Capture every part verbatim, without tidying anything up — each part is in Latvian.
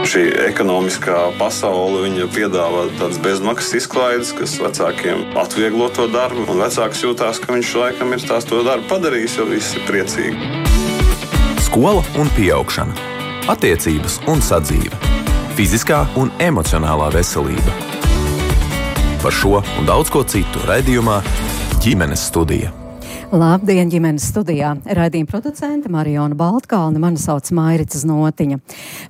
Šī ekonomiskā pasaule viņa piedāvā tādas bezmaksas izklaides, kas vecākiem atvieglo to darbu. Un vecāks jūtās, ka viņš laikam ir tās to darbu padarījis, jo visi ir priecīgi. Skola un pieaugšana, attiecības un sadzīve, fiziskā un emocionālā veselība. Par šo un daudz ko citu raidījumā Ģimenes studija. Labdien, ģimenes studijā. Raidījuma producente Mariona Baltkalne, mani sauc Mairica Znotiņa.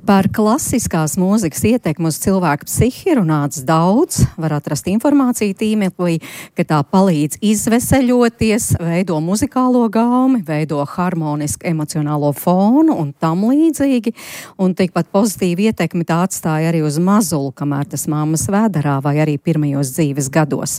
Par klasiskās mūzikas ietekmi uz cilvēku psihi runāts daudz, var atrast informāciju tīmeklī, ka tā palīdz izveseļoties, veido muzikālo gaumi, veido harmonisku emocionālo fonu un tam līdzīgi, un tikpat pozitīvu ietekmi tā atstāja arī uz mazulu, kamēr tas mammas vēderā vai arī pirmajos dzīves gados.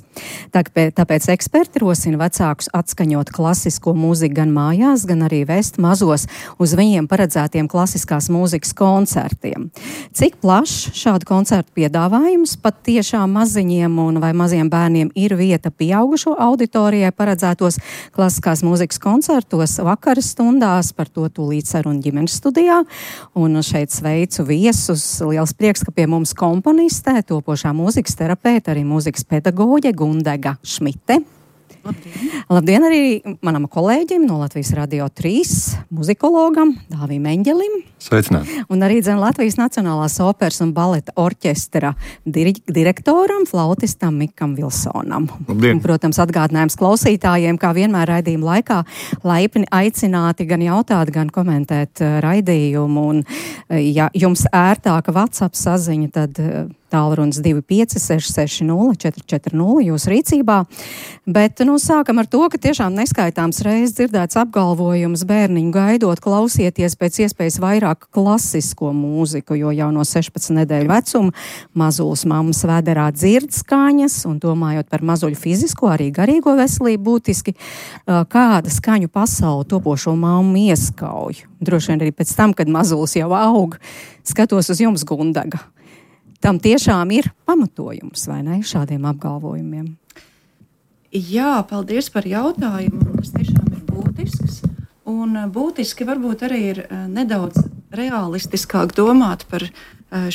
Tāpēc eksperti rosina vecākus atskaņot klasisko mūziku gan mājās, gan arī vest mazos uz viņiem paredzētiem klasiskās mūzikas koncertiem. Cik plašs šādu koncertu piedāvājums pat tiešām maziņiem un vai maziem bērniem ir vieta pieaugušo auditorijai paredzētos klasiskās mūzikas koncertos vakara stundās, par to tūlīt saruna Ģimenes studijā. Un šeit sveicu viesus. Liels prieks, ka pie mums komponistē, topošā mūzikas terapeita, arī mūzikas pedagoģe Gundega Šmite. Labdien. Labdien arī manam kolēģim no Latvijas Radio trīs, muzikologam Dāvim Eņģelim. Sveicināti. Un arī dzen Latvijas Nacionālās operas un baleta orķestra dir- direktoram, flautistam Mikam Vilsonam. Labdien. Un, protams, atgādinājums klausītājiem, kā vienmēr raidījuma laikā, laipni aicināti gan jautāt, gan komentēt uh, raidījumu. Un, uh, ja jums ērtāka WhatsApp saziņa, tad uh, tālrunis divi pieci seši seši nulle četri četri nulle jūsu rīcībā. Bet, nu, sākam ar to, ka tiešām neskaitāms reizes dzirdēts apgalvojums bērniņu gaidot, klausieties pēc iespējas vairāk klasisko mūziku, jo jau no sešpadsmit nedēļu vecuma mazulis mammas vēderā dzird skaņas, un domājot par mazuļu fizisko, arī garīgo veselību būtiski, kāda skaņu pasauli topošo mammu ieskauj. Droši vien arī pēc tam, kad mazulis jau aug, skatos uz jums, Gundega. Tam tiešām ir pamatojums, vai ne, šādiem apgalvojumiem? Jā, paldies par jautājumu. Tas tiešām ir būtisks. Un būtiski varbūt arī ir nedaudz realistiskāk domāt par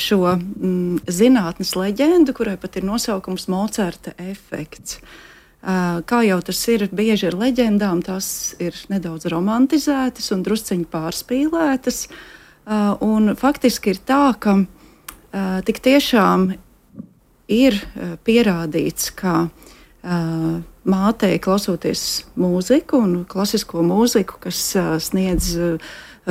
šo mm, zinātnes leģendu, kurai pat ir nosaukums Mocarta efekts. Kā jau tas ir bieži ar leģendām, tās ir nedaudz romantizētas un drusciņi pārspīlētas. Un faktiski ir tā, ka Uh, tik tiešām ir uh, pierādīts, ka uh, mātei klausoties mūziku un klasisko mūziku, kas uh, sniedz uh,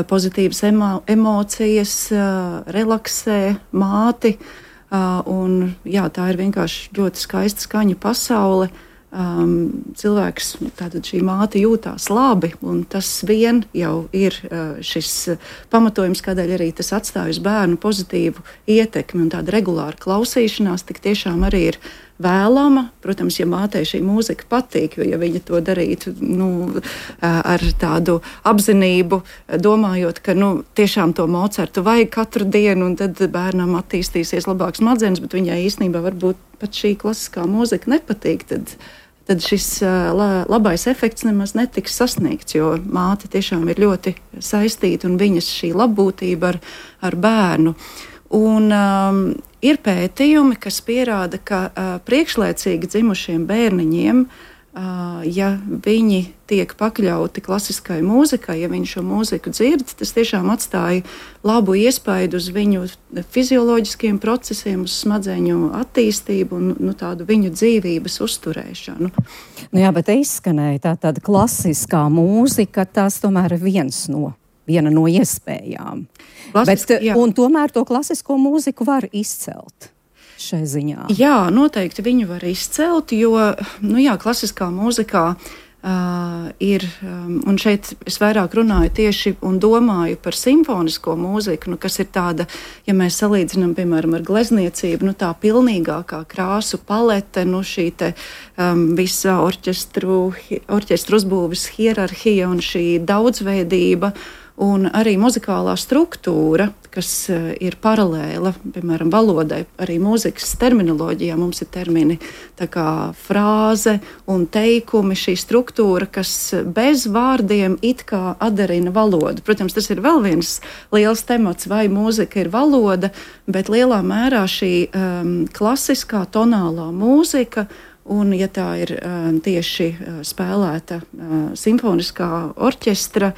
pozitīvas emo- emocijas, uh, relaksē māti, uh, un jā, tā ir vienkārši ļoti skaista skaņu pasaule. Um, cilvēks, tātad šī māte jūtās labi, un tas vien jau ir uh, šis uh, pamatojums, kādēļ arī tas atstāj uz bērnu pozitīvu ietekmi, un tāda regulāra klausīšanās tik tiešām arī ir vēlama. Protams, ja mātei šī mūzika patīk, jo ja viņa to darītu nu, ar tādu apzinību, domājot, ka nu, tiešām to Mocartu vajag katru dienu, un tad bērnam attīstīsies labāks smadzenes, bet viņai īstenībā varbūt pat šī klasiskā mūzika nepatīk, tad, tad šis la, labais efekts nemaz netiks sasniegts, jo māte tiešām ir ļoti saistīta un viņas šī labbūtība ar, ar bērnu. Un um, ir pētījumi, kas pierāda, ka uh, priekšlaicīgi dzimušiem bērniņiem, uh, ja viņi tiek pakļauti klasiskai mūzikai, ja viņi šo mūziku dzird, tas tiešām atstāja labu iespaidu uz viņu fizioloģiskiem procesiem, uz smadzeņu attīstību un nu, tādu viņu dzīvības uzturēšanu. Nu jā, bet izskanēja tā tāda klasiskā mūzika, tas tomēr ir viens no. Viena no iespējām. Klasiski, Bet, un tomēr to klasisko mūziku var izcelt šai ziņā. Jā, noteikti viņu var izcelt, jo nu jā, klasiskā mūzikā uh, ir, um, un šeit es vairāk runāju tieši un domāju par simfonisko mūziku, nu, kas ir tāda, ja mēs salīdzinām, piemēram, ar glezniecību, nu, tā pilnīgākā krāsu palete, nu, šī te um, visa orķestru, orķestru uzbūves hierarhija un šī daudzveidība, un arī muzikālā struktūra, kas ir paralēla, piemēram, valodai, arī mūzikas terminoloģijā. Mums ir termini tā kā frāze un teikumi, šī struktūra, kas bez vārdiem it kā atdarina valodu. Protams, tas ir vēl viens liels temats, vai mūzika ir valoda, bet lielā mērā šī um, klasiskā tonālā mūzika, un ja tā ir um, tieši uh, spēlēta uh, simfoniskā orķestra,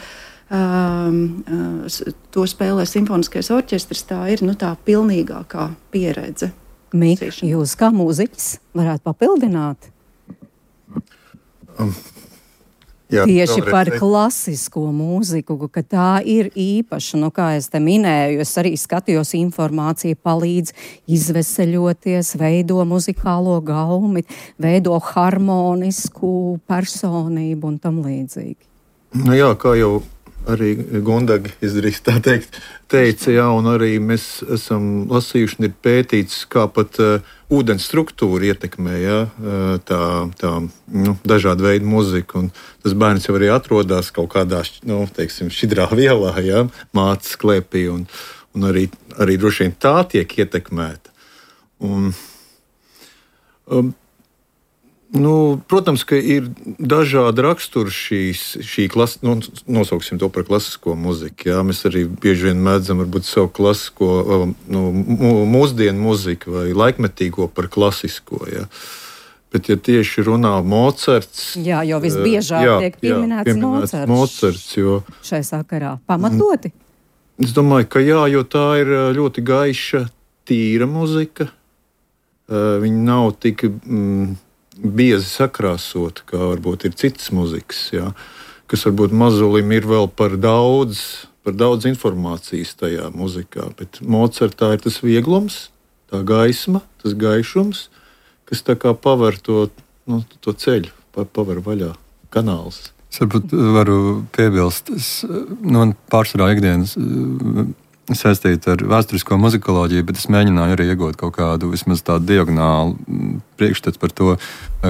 Um, uh, to spēlē simfoniskais orķestris, tā ir nu, tā pilnīgākā pieredze. Mik, jūs kā mūziķis varētu papildināt? Um, jā, Tieši par klasisko mūziku, ka tā ir īpaša, nu kā es te minēju, es arī skatījos informāciju, palīdz izveseļoties, veido muzikālo gaumi, veido harmonisku personību un tam līdzīgi. Nu jā, kā jau arī Gundaga izdrīkst tā teikt, teica, jā, un arī mēs esam lasījuši un ir pētīts, kā pat uh, ūdens struktūra ietekmē, jā, uh, tā, tā nu, dažāda veida muzika, un tas bērns jau arī atrodas kaut kādā, nu, teiksim, šķidrā vielā, jā, mātes klēpī, un, un arī, arī droši vien tā tiek ietekmēta. Un, um, Nu, protams, ka ir dažādi raksturi šīs, šī klasi, nu, nosauksim to par klasisko muziku. Jā. Mēs arī bieži vien mēdzam varbūt savu klasisko, nu, mūsdienu muziku vai laikmetīgo par klasisko. Jā. Bet, ja tieši runā Mocarts... Jā, jo visbiežāk jā, tiek pieminēts, jā, pieminēts Mocarts, Mocarts jo, šai sakarā. Pamatoti? Es domāju, ka jā, jo tā ir ļoti gaiša, tīra muzika. Viņa nav tik... Mm, biezi sakrāsot, kā varbūt ir citas muzikas, jā, kas varbūt mazulim ir vēl par daudz, par daudz informācijas tajā muzikā, bet Mocartā ir tas vieglums, tā gaisma, tas gaišums, kas tā kā paver to, nu, to ceļu, paver vaļā kanāls. Es varbūt varu piebilst, es, nu, pārsvarā ikdienas saistīta ar vēsturisko muzikoloģiju, bet es mēģināju arī iegūt kaut kādu vismaz tādu diagonālu priekšstats par to,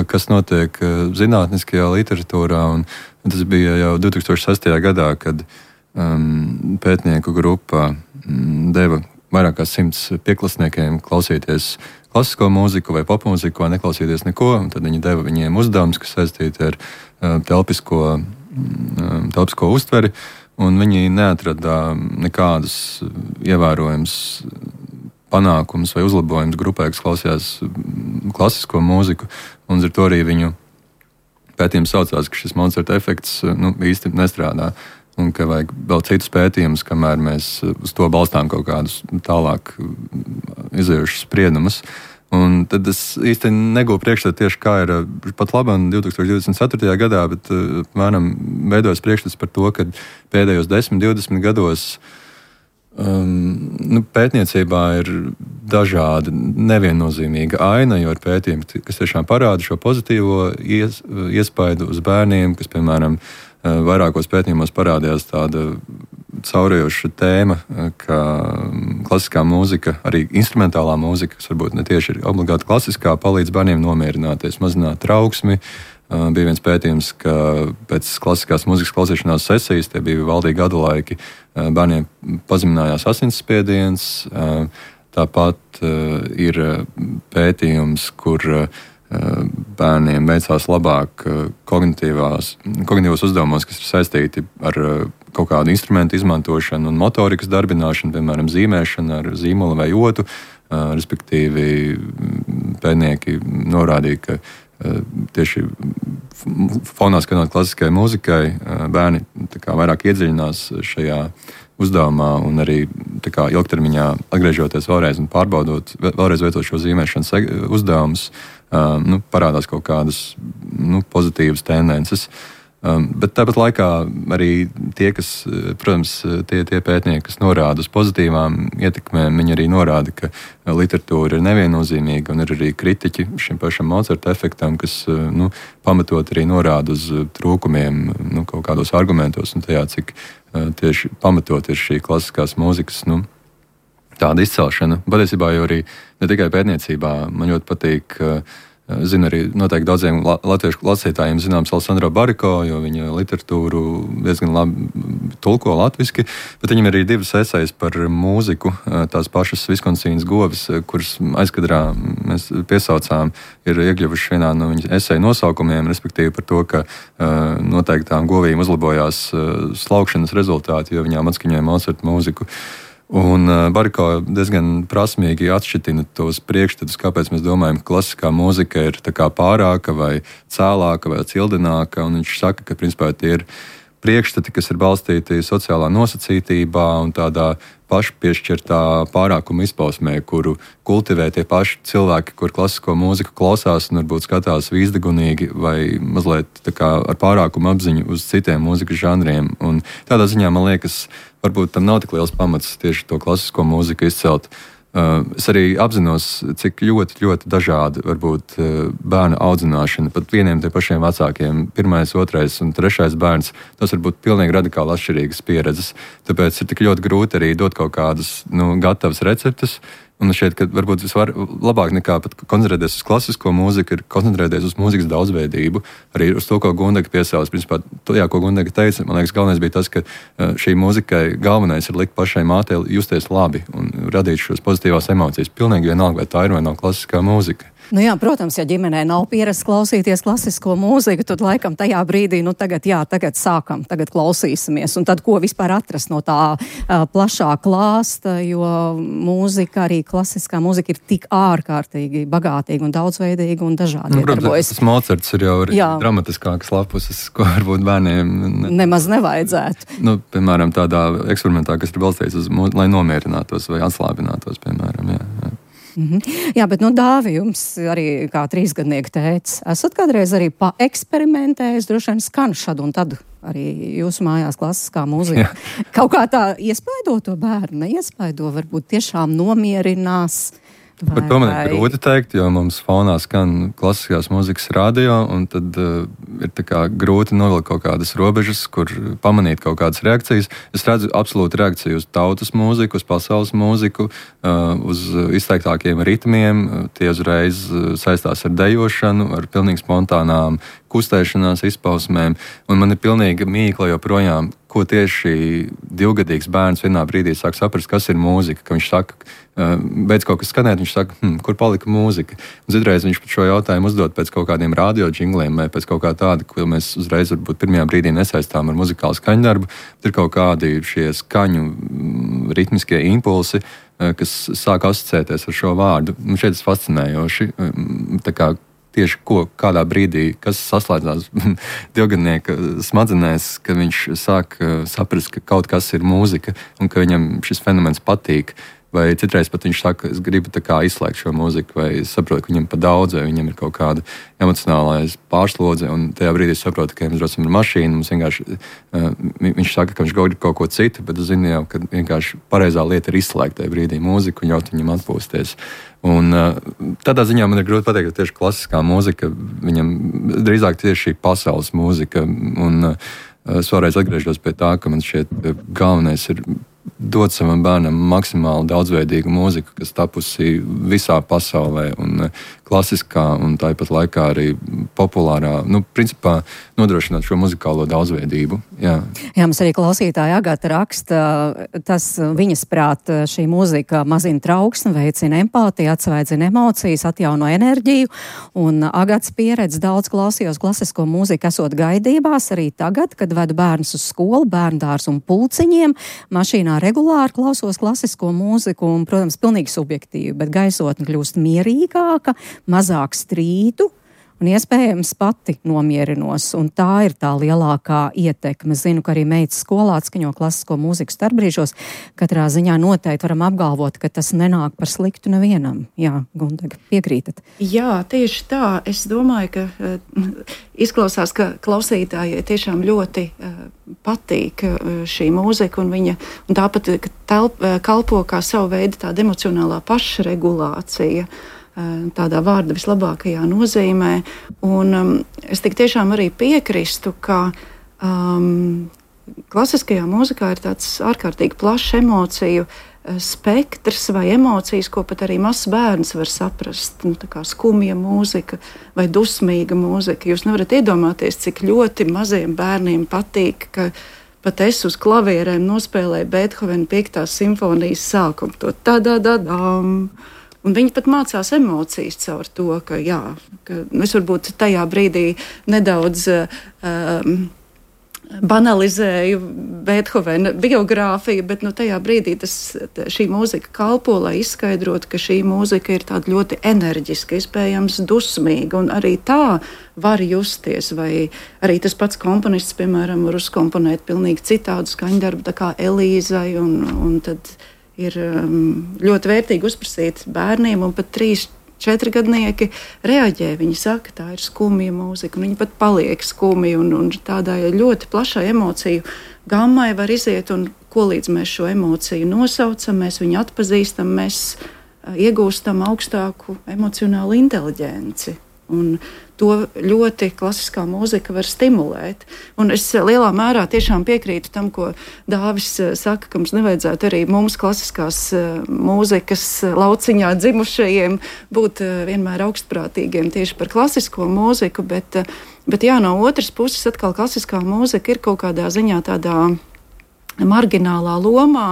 kas notiek zinātniskajā literatūrā. Un tas bija jau divi tūkstoši sestajā gadā, kad um, pētnieku grupa um, deva vairāk kā simts pieklasniekiem klausīties klasisko mūziku vai popmūziku vai neklausīties neko. Tad viņi deva viņiem uzdevumus, kas saistīti ar uh, telpisko, um, telpisko uztveri. Un viņi neatrada nekādus ievērojumus panākumus vai uzlabojumus grupai, kas klausījās klasisko mūziku. Un ar to arī viņu pētījums saucās, ka šis Mocarta efekts nu, īsti nestrādā. Un ka vajag vēl citus pētījumus, kamēr mēs uz to balstām kaut kādus tālāk izējušus spriedumus. Un tad es īsti negūju priekšstatu tieši kā ir pat labam divi tūkstoši divdesmit ceturtajā gadā, bet mēram veidojas priekšstats par to, ka pēdējos desmit, divdesmit gados um, nu, pētniecībā ir dažādi neviennozīmīga aina, jo ir pētījumi, kas tiešām parāda šo pozitīvo ies, iespaidu uz bērniem, kas, piemēram, vairākos pētījumos parādījās tāda caurējoša tēma, ka klasiskā mūzika, arī instrumentālā mūzika, kas varbūt ne tieši ir obligāti klasiskā, palīdz bērniem nomierināties, mazināt trauksmi. Bija viens pētījums, ka pēc klasiskās mūzikas klausīšanās sesijas, tie bija valdīgi gadu laiki, bērniem pazeminājās asinsspiediens. Tāpat ir pētījums, kur bērniem veicās labāk kognitīvās, kognitīvos uzdevumos, kas ir saistīti ar kaut kādu instrumentu izmantošanu un motorikas darbināšanu, piemēram, zīmēšanu ar zīmolu vai otu. Respektīvi, pētnieki norādīja, ka tieši fonā skatot klasiskajai mūzikai, bērni tā kā vairāk iedziļinās šajā uzdevumā un arī tā kā ilgtermiņā atgriežoties vēlreiz un pārbaudot, vēlreiz veicot šo zīmēšanas uzdevumus, Uh, nu, parādās kaut kādas nu, pozitīvas tendences. Um, bet tāpat laikā arī tie, kas, protams, tie, tie pētnieki, kas norāda uz pozitīvām ietekmēm, viņi arī norāda, ka literatūra ir neviennozīmīga un ir arī kritiķi šim pašam Mocarta efektam, kas nu, pamatot arī norāda uz trūkumiem nu, kaut kādos argumentos un tajā, cik uh, tieši pamatot ir šī klasiskās mūzikas nu, tāda izcelšana. Patiesībā jau arī ne tikai pētniecībā. Man ļoti patīk uh, Zinu arī noteikti daudziem latviešu lasītājiem zināms Alessandro Bariko, jo viņa literatūru diezgan labi tulko latviski, bet viņam arī divas esejas par mūziku, tās pašas Viskonsīnas govis, kuras aizkadrā mēs piesaucām, ir iekļuvuši vienā no viņas eseju nosaukumiem, respektīvi par to, ka noteiktām govīm uzlabojās slaukšanas rezultāti, jo viņām atskaņoja Mozarta mūziku. Un uh, Bariko diezgan prasmīgi atšķitina tos priekšstatus, kāpēc mēs domājam, ka klasiskā mūzika ir tā kā pārāka vai cēlāka vai cildināka, un viņš saka, ka principā tie ir priekšstati, kas ir balstīti sociālā nosacītībā un tādā pašpiešķirtā pārākuma izpausmē, kuru kultivē tie paši cilvēki, kur klasisko mūziku klausās un varbūt skatās vīzdegunīgi vai mazliet tā kā ar pārākumu apziņu uz citiem mūzikas žanriem. Un tādā ziņā man liekas, varbūt tam nav tik liels pamats tieši to klasisko mūziku izcelt. Uh, es arī apzinos, cik ļoti, ļoti dažādi var būt uh, bērna audzināšana. Pat vieniem tie pašiem vecākiem, pirmais, otrais un trešais bērns, tas var būt pilnīgi radikāli atšķirīgas pieredzes. Tāpēc ir tik ļoti grūti arī dot kaut kādas nu, gatavas receptes. Un šķiet, ka varbūt visvar labāk nekā pat koncentrēties uz klasisko mūziku, ir koncentrēties uz mūzikas daudzveidību. Arī uz to, ko Gundaga piesauc. Principā, to, jā, ko Gundaga teica, man liekas, galvenais bija tas, ka šī mūzikai galvenais ir likt pašai mātei justies labi un radīt šos pozitīvās emocijas. Pilnīgi vienalga, vai tā ir vai nav klasiskā mūzika. Nu jā, protams, ja ģimenē nav pieredze klausīties klasisko mūziku, tad laikam tajā brīdī, nu tagad, jā, tagad sākam, tagad klausīsimies. Un tad, ko vispār atrast no tā uh, plašā klāsta, jo mūzika, arī klasiskā mūzika ir tik ārkārtīgi bagātīga un daudzveidīga un dažādi nu, iedarbojas. Tas Mocarts ir jau arī jā. dramatiskākas lapuses, ko varbūt bērniem ne... nemaz nevajadzētu. Nu, piemēram, tādā eksperimentā, kas ir balstīts uz mūziku, lai nomierinātos vai atslābinātos, piemēram, jā. jā. Mm-hmm. Jā, bet, nu, Dāvi, jums arī kā trīsgadnieka tētis, esat kādreiz arī paeksperimentējis, droši vien skan šad un tad arī jūsu mājās klasiskā mūzika. Jā. Kaut kā tā iespaido to bērnu, neiespaido, varbūt tiešām nomierinās. Vai, Par to man vai... ir grūti teikt, jo mums fonā skan klasiskās mūzikas radio, un tad uh, ir tā kā grūti novilkt kaut kādas robežas, kur pamanīt kaut kādas reakcijas. Es redzu absolūti reakciju uz tautas mūziku, uz pasaules mūziku, uh, uz izteiktākiem ritmiem. Tie uzreiz uh, saistās ar dejošanu, ar pilnīgi spontānām kustēšanās izpausmēm, un man ir pilnīgi mīkla joprojām, ko tieši divgadīgs bērns vienā brīdī sāk saprast, kas ir mūzika, ka viņš saka, beidz kaut kas skanēt, viņš saka, hm, kur palika mūzika. Un citreiz viņš pat šo jautājumu uzdod pēc kaut kādiem radio džingliem vai pēc kaut kā tāda, ko mēs uzreiz varbūt pirmajā brīdī nesaistām ar muzikālu skaņdarbu, bet ir kaut kādi šie skaņu ritmiskie impulsi, kas sāk asociēties ar šo vārdu. Un šeit tas fascinējoši, tā kā tieši ko, kādā brīdī, kas saslēdzās divgadnieka smadzenēs, ka viņš sāk saprast, ka kaut kas ir mūzika un ka viņam šis fenomens patīk. Vai citreiz pat viņš saka, es gribu tā kā izslēgt šo mūziku, vai es saprotu, ka viņam pa daudz, vai viņam ir kaut kāda emocionālais pārslodze, un tajā brīdī es saprotu, ka mēs braucam ar mašīnu, mums vienkārši, uh, viņš saka, ka viņš grib kaut ko citu, bet es zinu jau, ka vienkārši pareizā lieta ir izslēgt tajā brīdī mūziku un ļaut viņam atpūsties. Un uh, tādā ziņā man ir grūti pateikt, ka tieši klasiskā mūzika, viņam drīzāk tieši šī pasaules mūzika, un uh, es vēlreiz atgriežos pie tā, ka man šķiet galvenais ir dot savam bērnam maksimāli daudzveidīgu mūziku, kas tapusi visā pasaulē, un klasiskā, un tāpat laikā arī populārā, nu, principā nodrošināt šo muzikālo daudzveidību. Jā, Jā mums arī klausītāja Agata raksta, tas viņas prāt šī mūzika mazina trauksmi, veicina empātiju, atsvaidzina emocijas, atjauno enerģiju, un Agatas pieredze daudz klausījos klasisko mūziku esot gaidībās, arī tagad, kad vedu bērnus uz skolu, bērndārs un pulciņiem, mašīnā regulāri klausos klasisko mūziku un, protams, pilnīgi subjektīvi, bet gaisotne kļūst mierīgāka, mazāk strīdu un iespējams pati nomierinos. Un tā ir tā lielākā ietekme. Zinu, ka arī meitas skolā atskaņo klasisko mūziku starpbrīžos. Katrā ziņā noteikti varam apgalvot, ka tas nenāk par sliktu nevienam. Jā, Gundaga, piekrītat? Jā, tieši tā. Es domāju, ka uh, izklausās, ka klausītājai tiešām ļoti uh, patīk uh, šī mūzika, un viņa un tāpat telp, uh, kalpo kā savu veidu tāda emocionālā pašregulācija. Tādā vārda vislabākajā nozīmē. Un um, es tik tiešām arī piekristu, ka um, klasiskajā mūzikā ir tāds ārkārtīgi plašs emociju uh, spektrs vai emocijas, ko pat arī mazs bērns var saprast. Nu, tā kā skumja mūzika vai dusmīga mūzika. Jūs nevarat iedomāties, cik ļoti maziem bērniem patīk, ka pat es uz klavierēm nospēlēju Beethovena piektās simfonijas sākumu. To tā-dā-dā-dām. Un viņi pat mācās emocijas caur to, ka, jā, ka es varbūt tajā brīdī nedaudz um, banalizēju Beethovena biogrāfiju, bet nu, tajā brīdī tas, šī mūzika kalpo, lai izskaidrotu, ka šī mūzika ir tāda ļoti enerģiska, iespējams dusmīga, un arī tā var justies, vai arī tas pats komponists, piemēram, var uzkomponēt pilnīgi citādu skaņdarbu, tā kā Elīzai, un, un tad ir um, ļoti vērtīgi uzprasīt bērniem, un pat trīs Četri gadnieki reaģē, viņi saka, tā ir skumja mūzika, un viņi pat paliek skumji, un, un tādai ļoti plašai emociju gammai var iziet, un ko līdz mēs šo emociju nosaucam, mēs viņu atpazīstam, mēs uh, iegūstam augstāku emocionālu inteliģenci. Un to ļoti klasiskā mūzika var stimulēt. Un es lielā mērā tiešām piekrītu tam, ko Dāvis saka, ka mums nevajadzētu arī mums klasiskās mūzikas lauciņā dzimušajiem būt vienmēr augstprātīgiem tieši par klasisko mūziku, bet, bet jā, no otras puses atkal klasiskā mūzika ir kaut kādā ziņā tādā marginālā lomā,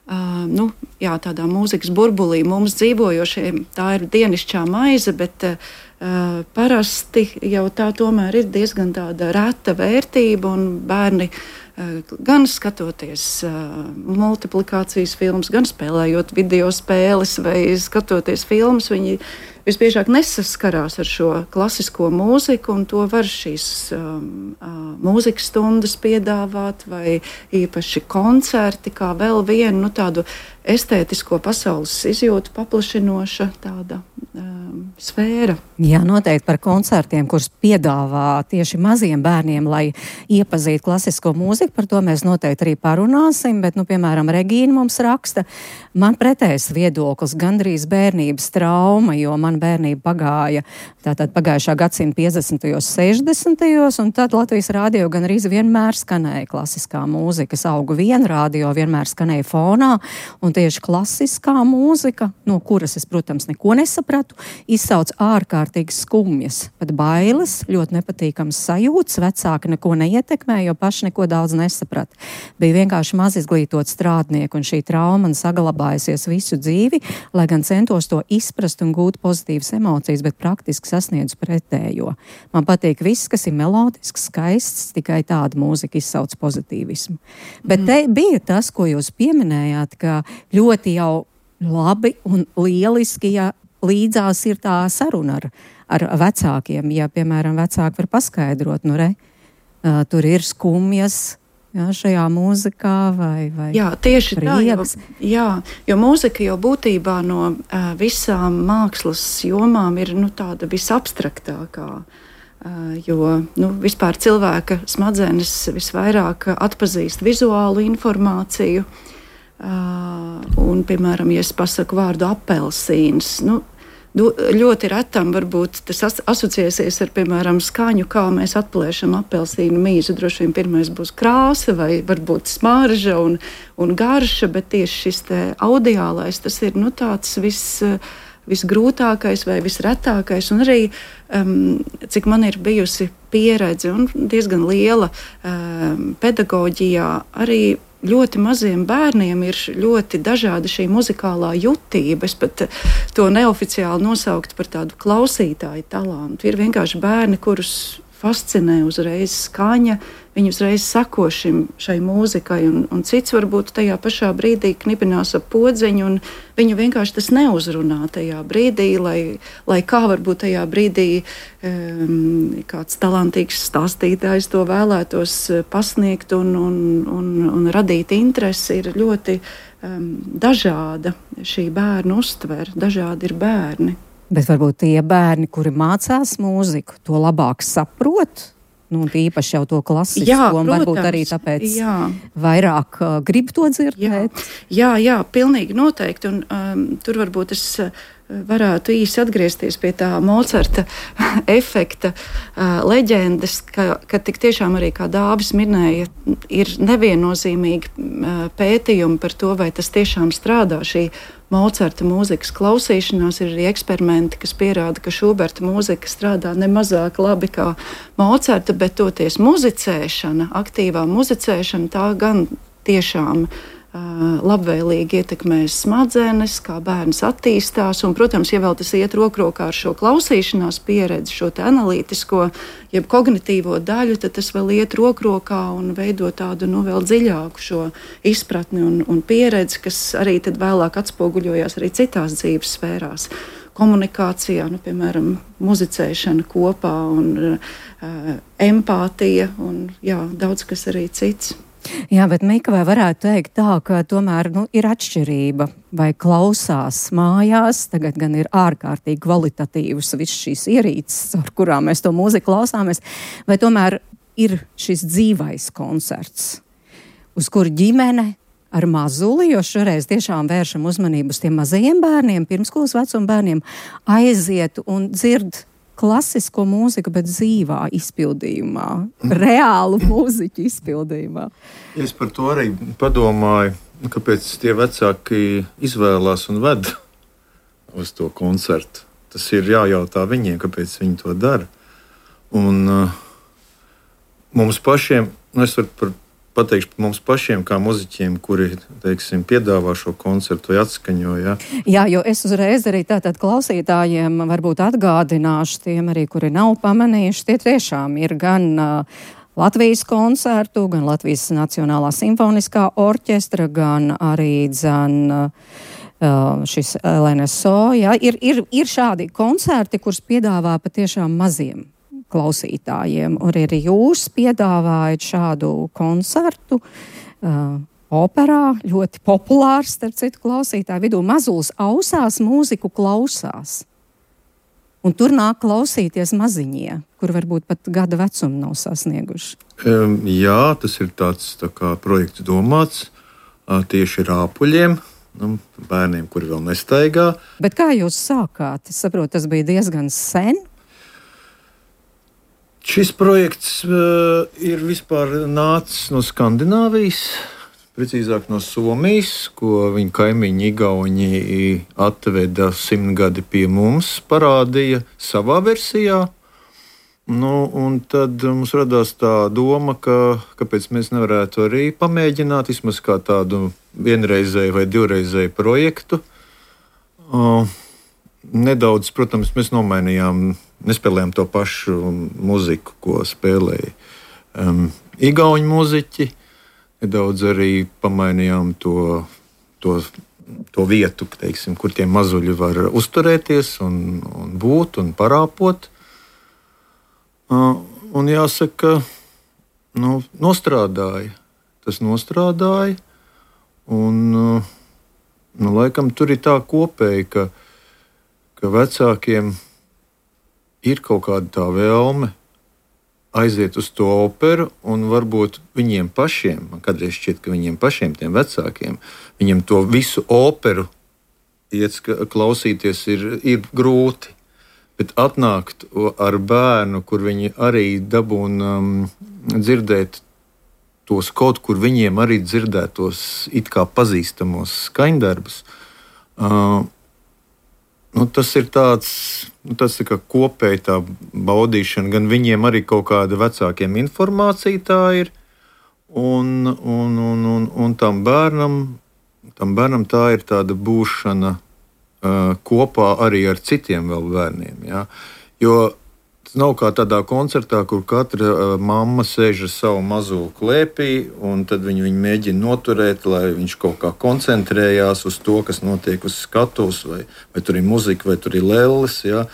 Uh, nu, jā, tādā mūzikas burbulī mums dzīvojošiem tā ir dienišķā maize, bet uh, parasti jau tā tomēr ir diezgan tāda reta vērtība, un bērni uh, gan skatoties uh, multiplikācijas filmas, gan spēlējot video spēles vai skatoties filmas, viņi visbiežāk nesaskarās ar šo klasisko mūziku, un to var šīs um, uh, mūzikas stundas piedāvāt, vai īpaši koncerti, kā vēl vienu nu, tādu estētisko pasaules izjūtu paplašinoša tāda um, sfēra. Jā, noteikti par koncertiem, kurus piedāvā tieši maziem bērniem, lai iepazītu klasisko mūziku, par to mēs noteikti arī parunāsim, bet, nu, piemēram, Regīna mums raksta, man pretējs viedoklis, gandrīz bērnības trauma, jo man bērnība pagāja, tātad pagājušā gadsimta piecdesmitajos, sešdesmitajos, un tad Latvijas rādio gan arī vienmēr skanēja klasiskā mūzika. Es augu vien, rādio vienmēr skanēja fonā, un tieši klasiskā mūzika, no kuras es, protams, neko nesapratu, izsauc ārkārtīgi skumjas, pat bailes, ļoti nepatīkams sajūtas, vecāki neko neietekmē, jo paši neko daudz nesaprat. Bija vienkārši maz izglītot strādnieku, un šī trauma man saglabājusies visu dzīvi, lai gan centos to izprast un gūt pozitīvas emocijas, bet praktiski sasniedzu pretējo. Man patīk viss, kas ir melodisks, skaists, tikai tāda mūzika izsauc pozitīvismu. Bet te bija tas, ko jūs pieminējāt, ka ļoti jau labi un lieliski, ja līdzās ir tā saruna ar, ar vecākiem. Ja, piemēram, vecāki var paskaidrot, nu re, uh, tur ir skumjas, jā, šajā mūzikā vai, vai jā, tieši prieks. Tā, jo, jā, jo mūzika jau būtībā no uh, visām mākslas jomām ir nu, tāda visabstraktākā. Uh, jo nu, vispār cilvēka smadzenes visvairāk atpazīst vizuālu informāciju. Uh, un, piemēram, ja es pasaku vārdu apelsīns, nu, du, ļoti retam varbūt tas as, asociēsies ar, piemēram, skaņu, kā mēs atplēšam apelsīnu mīzu. Droši vien pirmais būs krāsa vai varbūt smarža un, un garša, bet tieši šis te audiālais, tas ir nu, tāds viss, visgrūtākais vai visretākais. Un arī, um, cik man ir bijusi pieredze un diezgan liela um, pedagoģijā, arī ļoti maziem bērniem ir ļoti dažāda šī muzikālā jutība. Es pat to neoficiāli nosauktu par tādu klausītāju talantu. Ir vienkārši bērni, kurus fascinē uzreiz skaņa, viņi uzreiz sako šim, šai mūzikai, un, un cits varbūt tajā pašā brīdī knibinās ap podziņu, un viņu vienkārši tas neuzrunā tajā brīdī, lai, lai kā varbūt tajā brīdī um, kāds talantīgs stāstītājs to vēlētos pasniegt un, un, un, un radīt interesi, ir ļoti um, dažāda šī bērnu uztver, dažādi ir bērni. Bet varbūt tie bērni, kuri mācās mūziku, to labāk saprot, nu, īpaši jau to klasisko, jā, un protams, varbūt arī tāpēc jā. vairāk uh, grib to dzirdēt. Jā, jā, jā, pilnīgi noteikti, un um, tur varbūt es uh, varētu īsi atgriezties pie tā Mocarta efekta uh, leģendas, ka, ka tik tiešām arī, kā Dāvis minēja, ir neviennozīmīgi uh, pētījumi par to, vai tas tiešām strādā. Šī Mocarta mūzikas klausīšanās ir arī eksperimenti, kas pierāda, ka Šuberta mūzika strādā nemazāk labi kā Mocarta, bet toties muzicēšana, aktīvā muzicēšana, tā gan tiešām labvēlīgi ietekmēs smadzenes, kā bērns attīstās. Un, protams, ja vēl tas iet rokrokā ar šo klausīšanās pieredzi, šo te analītisko, jeb kognitīvo daļu, tad tas vēl iet rokrokā un veido tādu nu, vēl dziļāku šo izpratni un, un pieredzi, kas arī tad vēlāk atspoguļojās arī citās dzīves sfērās. Komunikācijā, nu, piemēram, muzicēšana kopā un uh, empātija un jā, daudz kas arī cits. Jā, bet Mika, vai varētu teikt tā, ka tomēr nu, ir atšķirība, vai klausās mājās, tagad gan ir ārkārtīgi kvalitatīvas visas šīs ierīces, ar kurām mēs to mūziku klausāmies, vai tomēr ir šis dzīvais koncerts, uz kuru ģimene ar mazuli, jo šoreiz tiešām vēršam uzmanību uz tiem mazajiem bērniem, pirmskolas vecuma bērniem, aiziet un dzird klasisko mūziku, bet dzīvā izpildījumā, reālu mūziķu izpildījumā. Es par to arī padomāju, kāpēc tie vecāki izvēlās un ved uz to koncertu. Tas ir jājautā viņiem, kāpēc viņi to dara. Un uh, mums pašiem, nu es varu par pateikšu mums pašiem, kā muziķiem, kuri, teiksim, piedāvā šo koncertu vai atskaņo. Ja? Jā, jo es uzreiz arī tātad klausītājiem varbūt atgādināšu tiem arī, kuri nav pamanījuši, tie tiešām ir gan uh, Latvijas koncertu, gan Latvijas Nacionālā simfoniskā orķestra, gan arī dzan uh, šis L N S O. Ja? Ir, ir, ir šādi koncerti, kurus piedāvā patiešām maziem klausītājiem, un arī jūs piedāvājat šādu koncertu uh, operā, ļoti populārs, starp citu klausītāju vidū. Mazulis ausās mūziku klausās. Un tur nāk klausīties maziņie, kur varbūt pat gada vecumu nav sasnieguši. Um, jā, tas ir tāds tā kā projekts domāts uh, tieši rāpuļiem, nu, bērniem, kuri vēl nestaigā. Bet kā jūs sākāt? Es saprotu, tas bija diezgan sen. Šis projekts uh, ir vispār nācis no Skandināvijas, precīzāk no Somijas, ko viņa kaimiņi Igauņi atveda simtgadi pie mums, parādīja savā versijā. Nu, un tad mums radās tā doma, ka kāpēc mēs nevarētu arī pamēģināt vismaz kā tādu vienreizēju vai divreizēju projektu. Uh, nedaudz, protams, mēs nomainījām. Nespēlējām to pašu muziku, ko spēlēja um, igauņu muziķi. Nedaudz arī pamainījām to, to, to vietu, teiksim, kur tie mazuļi var uzturēties un, un būt un parāpot. Uh, un jāsaka, nu, nostrādāja. Tas nostrādāja. Un, uh, nu, laikam tur ir tā kopēji, ka, ka vecākiem ir kaut kāda tā vēlme aiziet uz to operu, un varbūt viņiem pašiem, man kādreiz šķiet, ka viņiem pašiem, tiem vecākiem, viņiem to visu operu iet klausīties ir, ir grūti. Bet atnākt ar bērnu, kur viņi arī dabūna um, dzirdēt tos kaut kur viņiem arī dzirdētos it kā pazīstamos skaņdarbus, uh, nu, tas ir tāds, nu, tas ir kā kopēji tā baudīšana, gan viņiem arī kaut kāda vecākiem informācija tā ir, un, un, un, un, un tam bērnam, tam bērnam tā ir tāda būšana uh, kopā arī ar citiem vēl bērniem. Ja? Jo tas nav kā tādā koncertā, kur katra uh, mamma sēž ar savu mazo klēpī, un tad viņi viņu mēģina noturēt, lai viņš kaut kā koncentrējās uz to, kas notiek uz skatuves, vai, vai tur ir muzika, vai tur ir lelles. Ja?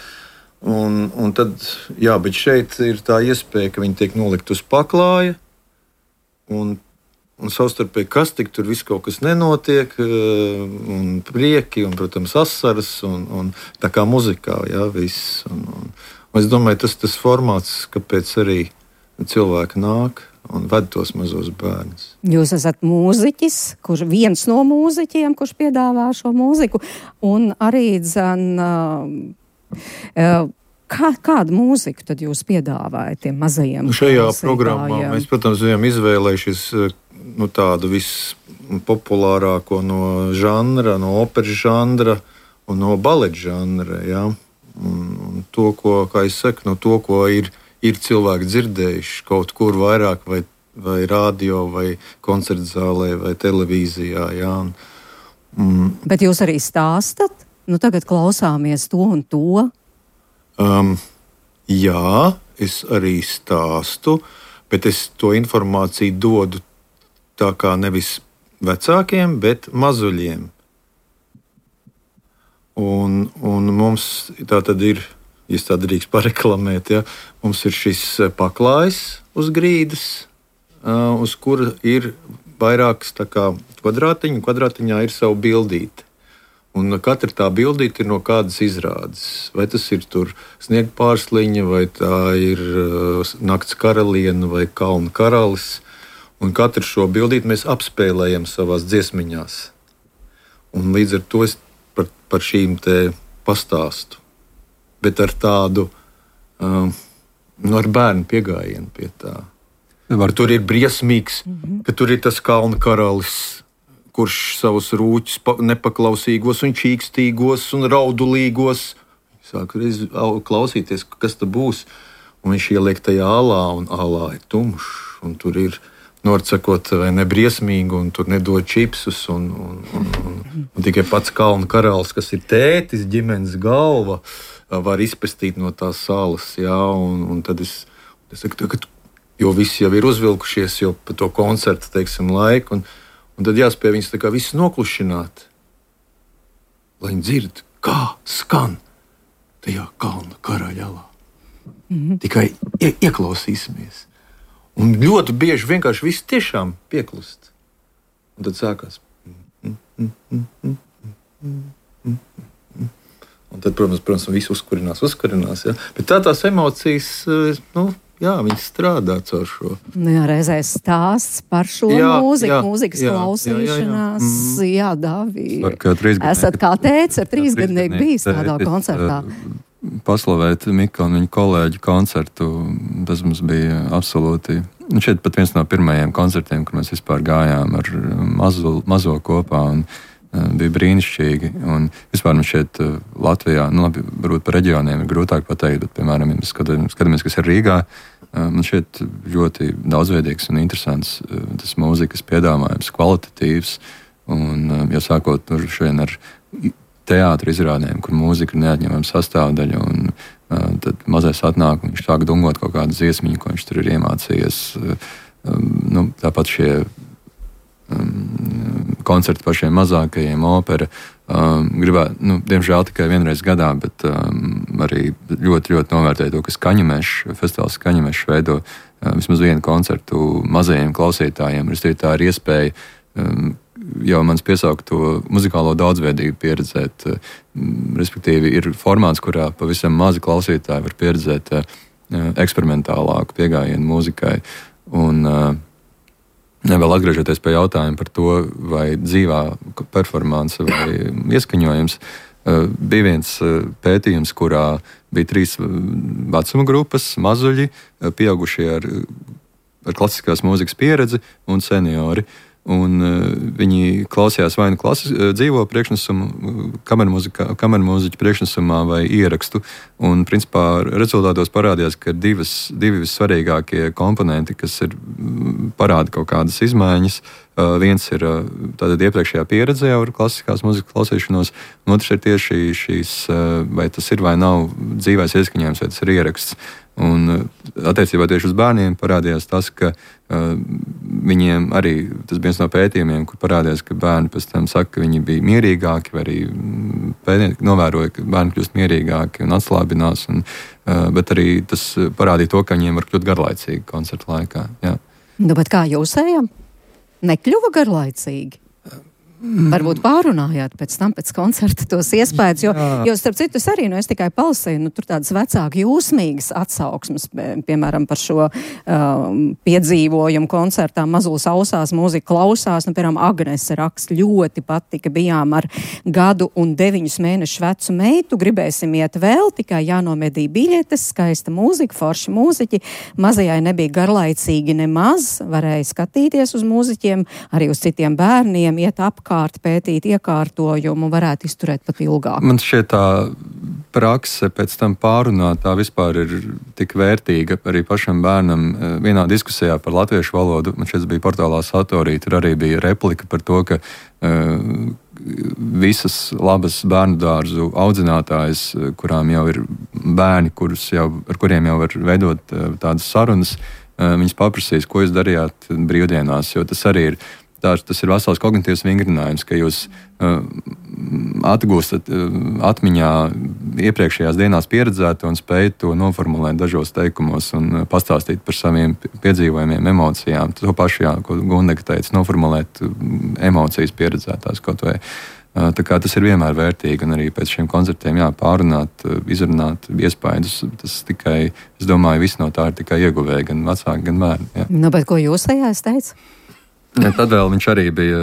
Un, un tad, jā, bet šeit ir tā iespēja, ka viņi tiek nolikt uz paklāja, un, un savstarpēji kas tik tur viss kaut kas nenotiek, un prieki, un, protams, asaras, un, un tā kā muzikā, jā, viss. Un, un, Es domāju, tas ir tas formāts, kāpēc arī cilvēki nāk un ved tos mazos bērnus. Jūs esat mūziķis, kurš viens no mūziķiem, kurš piedāvā šo mūziku, un arī dzen, kā, kādu mūziku tad jūs piedāvājat tiem mazajiem? Nu šajā programmā mēs, protams, bijām izvēlējušies nu, tādu vispopulārāko no žanra, no operas žanra un no baleta žanra, ja? un, un to, ko, kā es saku, no to, ko ir ir cilvēki dzirdējuši kaut kur vairāk, vai, vai radio, vai koncertzālē, vai televīzijā. Jā. Mm. Bet jūs arī stāstat? Nu, tagad klausāmies to un to. Um, jā, es arī stāstu, bet es to informāciju dodu tā kā nevis vecākiem, bet mazuļiem. Un, un mums tā tad ir, ja tā drīkst pareklamēt, ja, mums ir šis paklājs uz grīdas, uz kura ir vairākas tā kā kvadrātiņi, un kvadrātiņā ir savu bildīti. Un katra tā bildīte ir no kādas izrādes. Vai tas ir tur sniega pārsliņa, vai tā ir nakts karaliene, vai kalna karalis. Un katru šo bildīti mēs apspēlējam savās dziesmiņās. Un līdz ar to es par, par šīm te pastāstu. Bet ar tādu, um, nu, ar bērnu piegājienu pie tā. Var, tur ir briesmīgs, mm-hmm. ka tur ir tas kalna karalis, kurš savus rūķus nepaklausīgos un čīkstīgos un raudulīgos sāk reiz klausīties, kas tas būs. Un viņš ieliek tajā alā, un alā ir tumšs, un tur ir norcekot vai nebriesmīgi, un tur nedod čipsus, un, un, un, un, un tikai pats kalna karalis, kas ir tētis, ģimenes galva, var izpestīt no tās salas, jā, un, un tad es, es saku, ka, jo visi jau ir uzvilkušies jau pa to koncertu, teiksim, laiku, un, un tad jāspēj viņus tā kā visus noklušināt, lai viņi dzird, kā skan tajā kalna karaļalā. Mm-hmm. Tikai ie, ieklausīsimies. Un ļoti bieži vienkārši viss tiešām pieklust. Un tad sākās. Un tad, protams, protams viss uzkurinās, uzkurinās. Ja? Bet tā tās emocijas, nu, jā, viņas strādā caur šo. Nu, jā, reizēs stāsts par šo jā, mūziku, jā, mūzikas jā, klausīšanās. Jā, jā, jā. jā Dāvī. Esat kā tēts ar trīsgadnieku bijis tādā koncertā. Paslavēt Mika un viņa kolēģu koncertu, tas mums bija absolūti. Šeit pat viens no pirmajiem koncertiem, kur mēs vispār gājām ar mazo, mazo kopā, un uh, bija brīnišķīgi. Un vispār mums šeit uh, Latvijā, nu labi, varbūt par reģioniem ir grūtāk pateikt, bet, piemēram, ja mēs skatāmies, kas ir Rīgā, uh, man šeit ļoti daudzveidīgs un interesants uh, tas mūzikas piedāvājums, kvalitatīvs, un uh, jau sākot tur šodien ar teātra izrādēm, kur mūzika ir neatņemama sastāvdaļa, un uh, tad mazais atnāk, un viņš sāk dungot kaut kādu dziesmiņu, ko viņš tur ir iemācījies. Um, nu, tāpat šie um, koncerti par šiem mazākajiem, opera, um, gribētu, nu, diemžēl tikai vienreiz gadā, bet um, arī ļoti, ļoti novērtēju to, ka Skaņamešs, festivāls Skaņamešs veido uh, vismaz vienu koncertu mazajiem klausītājiem. Es tā ir iespēja um, jau mans piesaukto muzikālo daudzveidību pieredzēt. Respektīvi, ir formāts, kurā pavisam mazi klausītāji var pieredzēt eksperimentālāku piegājienu mūzikai. Un vēl atgriežoties pie jautājuma par to, vai dzīvā performance vai ieskaņojums, bija viens pētījums, kurā bija trīs vecuma grupas, mazuļi, pieaugušie ar, ar klasiskās mūzikas pieredzi un seniori. Un uh, viņi klausījās vai nu klases, uh, dzīvo priekšnesumu, kamermūziķu priekšnesumā vai ierakstu. Un, principā, rezultātos parādījās, ka ir divas, divi vissvarīgākie komponenti, kas ir, parāda kaut kādas izmaiņas. Uh, viens ir uh, tātad iepriekšējā pieredze jau ar klasiskās mūzikas klausīšanos, un otrs ir tieši šīs, uh, vai tas ir vai nav dzīvais ieskaņojums, vai tas ir ieraksts. Un attiecībā tieši uz bērniem parādījās tas, ka uh, viņiem arī, tas bija viens no pētījumiem, kur parādījās, ka bērni pēc tam saka, ka viņi bija mierīgāki, vai arī pētnieki novēroja, ka bērni kļūst mierīgāki un atslābinās, un, uh, bet arī tas parādīja to, ka viņiem var kļūt garlaicīgi koncerta laikā. Jā. Nu, bet kā jūsējām? Nekļuva garlaicīgi? Varbūt pārunājāt pēc tam, pēc koncerta tos iespējas, jo, jo starp citu es arī, nu, es tikai palasīju, nu, tur tādas vecāki jūsmīgas atsauksmes, piemēram, par šo um, piedzīvojumu koncertā Mazulis ausās, mūzika klausās, nu, piemēram, Agnese raksta, ļoti patika, bijām ar gadu un deviņus mēnešu vecu meitu, gribēsim iet vēl, tikai jānomedī biļetes, skaista mūzika, forši mūziķi, mazajai nebija garlaicīgi nemaz, varēja skatīties uz mūziķiem, arī uz citiem bērniem, iet apkārt, pētīt iekārtojumu, varētu izturēt pat ilgāk. Man šķiet tā prakse pēc tam pārunāt, tā vispār ir tik vērtīga arī pašam bērnam. Vienā diskusijā par latviešu valodu, man šķiet bija portālā Satorī, tur arī bija replika par to, ka uh, visas labas bērnu dārzu audzinātājas, kurām jau ir bērni, kurus jau, ar kuriem jau var veidot uh, tādas sarunas, uh, viņas paprasīs, ko jūs darījāt brīvdienās, jo tas arī ir Tā, tas ir vesels kognitīvs vingrinājums, ka jūs uh, atgūstat uh, atmiņā iepriekšējās dienās pieredzēto un spējat to noformulēt dažos teikumos un uh, pastāstīt par saviem piedzīvojumiem, emocijām. To pašu, jā, ko Gundega teica, noformulēt uh, emocijas pieredzētās kaut vai. Uh, tā kā tas ir vienmēr vērtīgi un arī pēc šiem koncertiem jā, pārunāt, uh, izrunāt iespaidus. Tas tikai, es domāju, viss no tā ir tikai ieguvēji, gan vecāki, gan bērni. Jā. Nu, bet ko jūs tajā es teicu? Ja, tad vēl viņš arī bija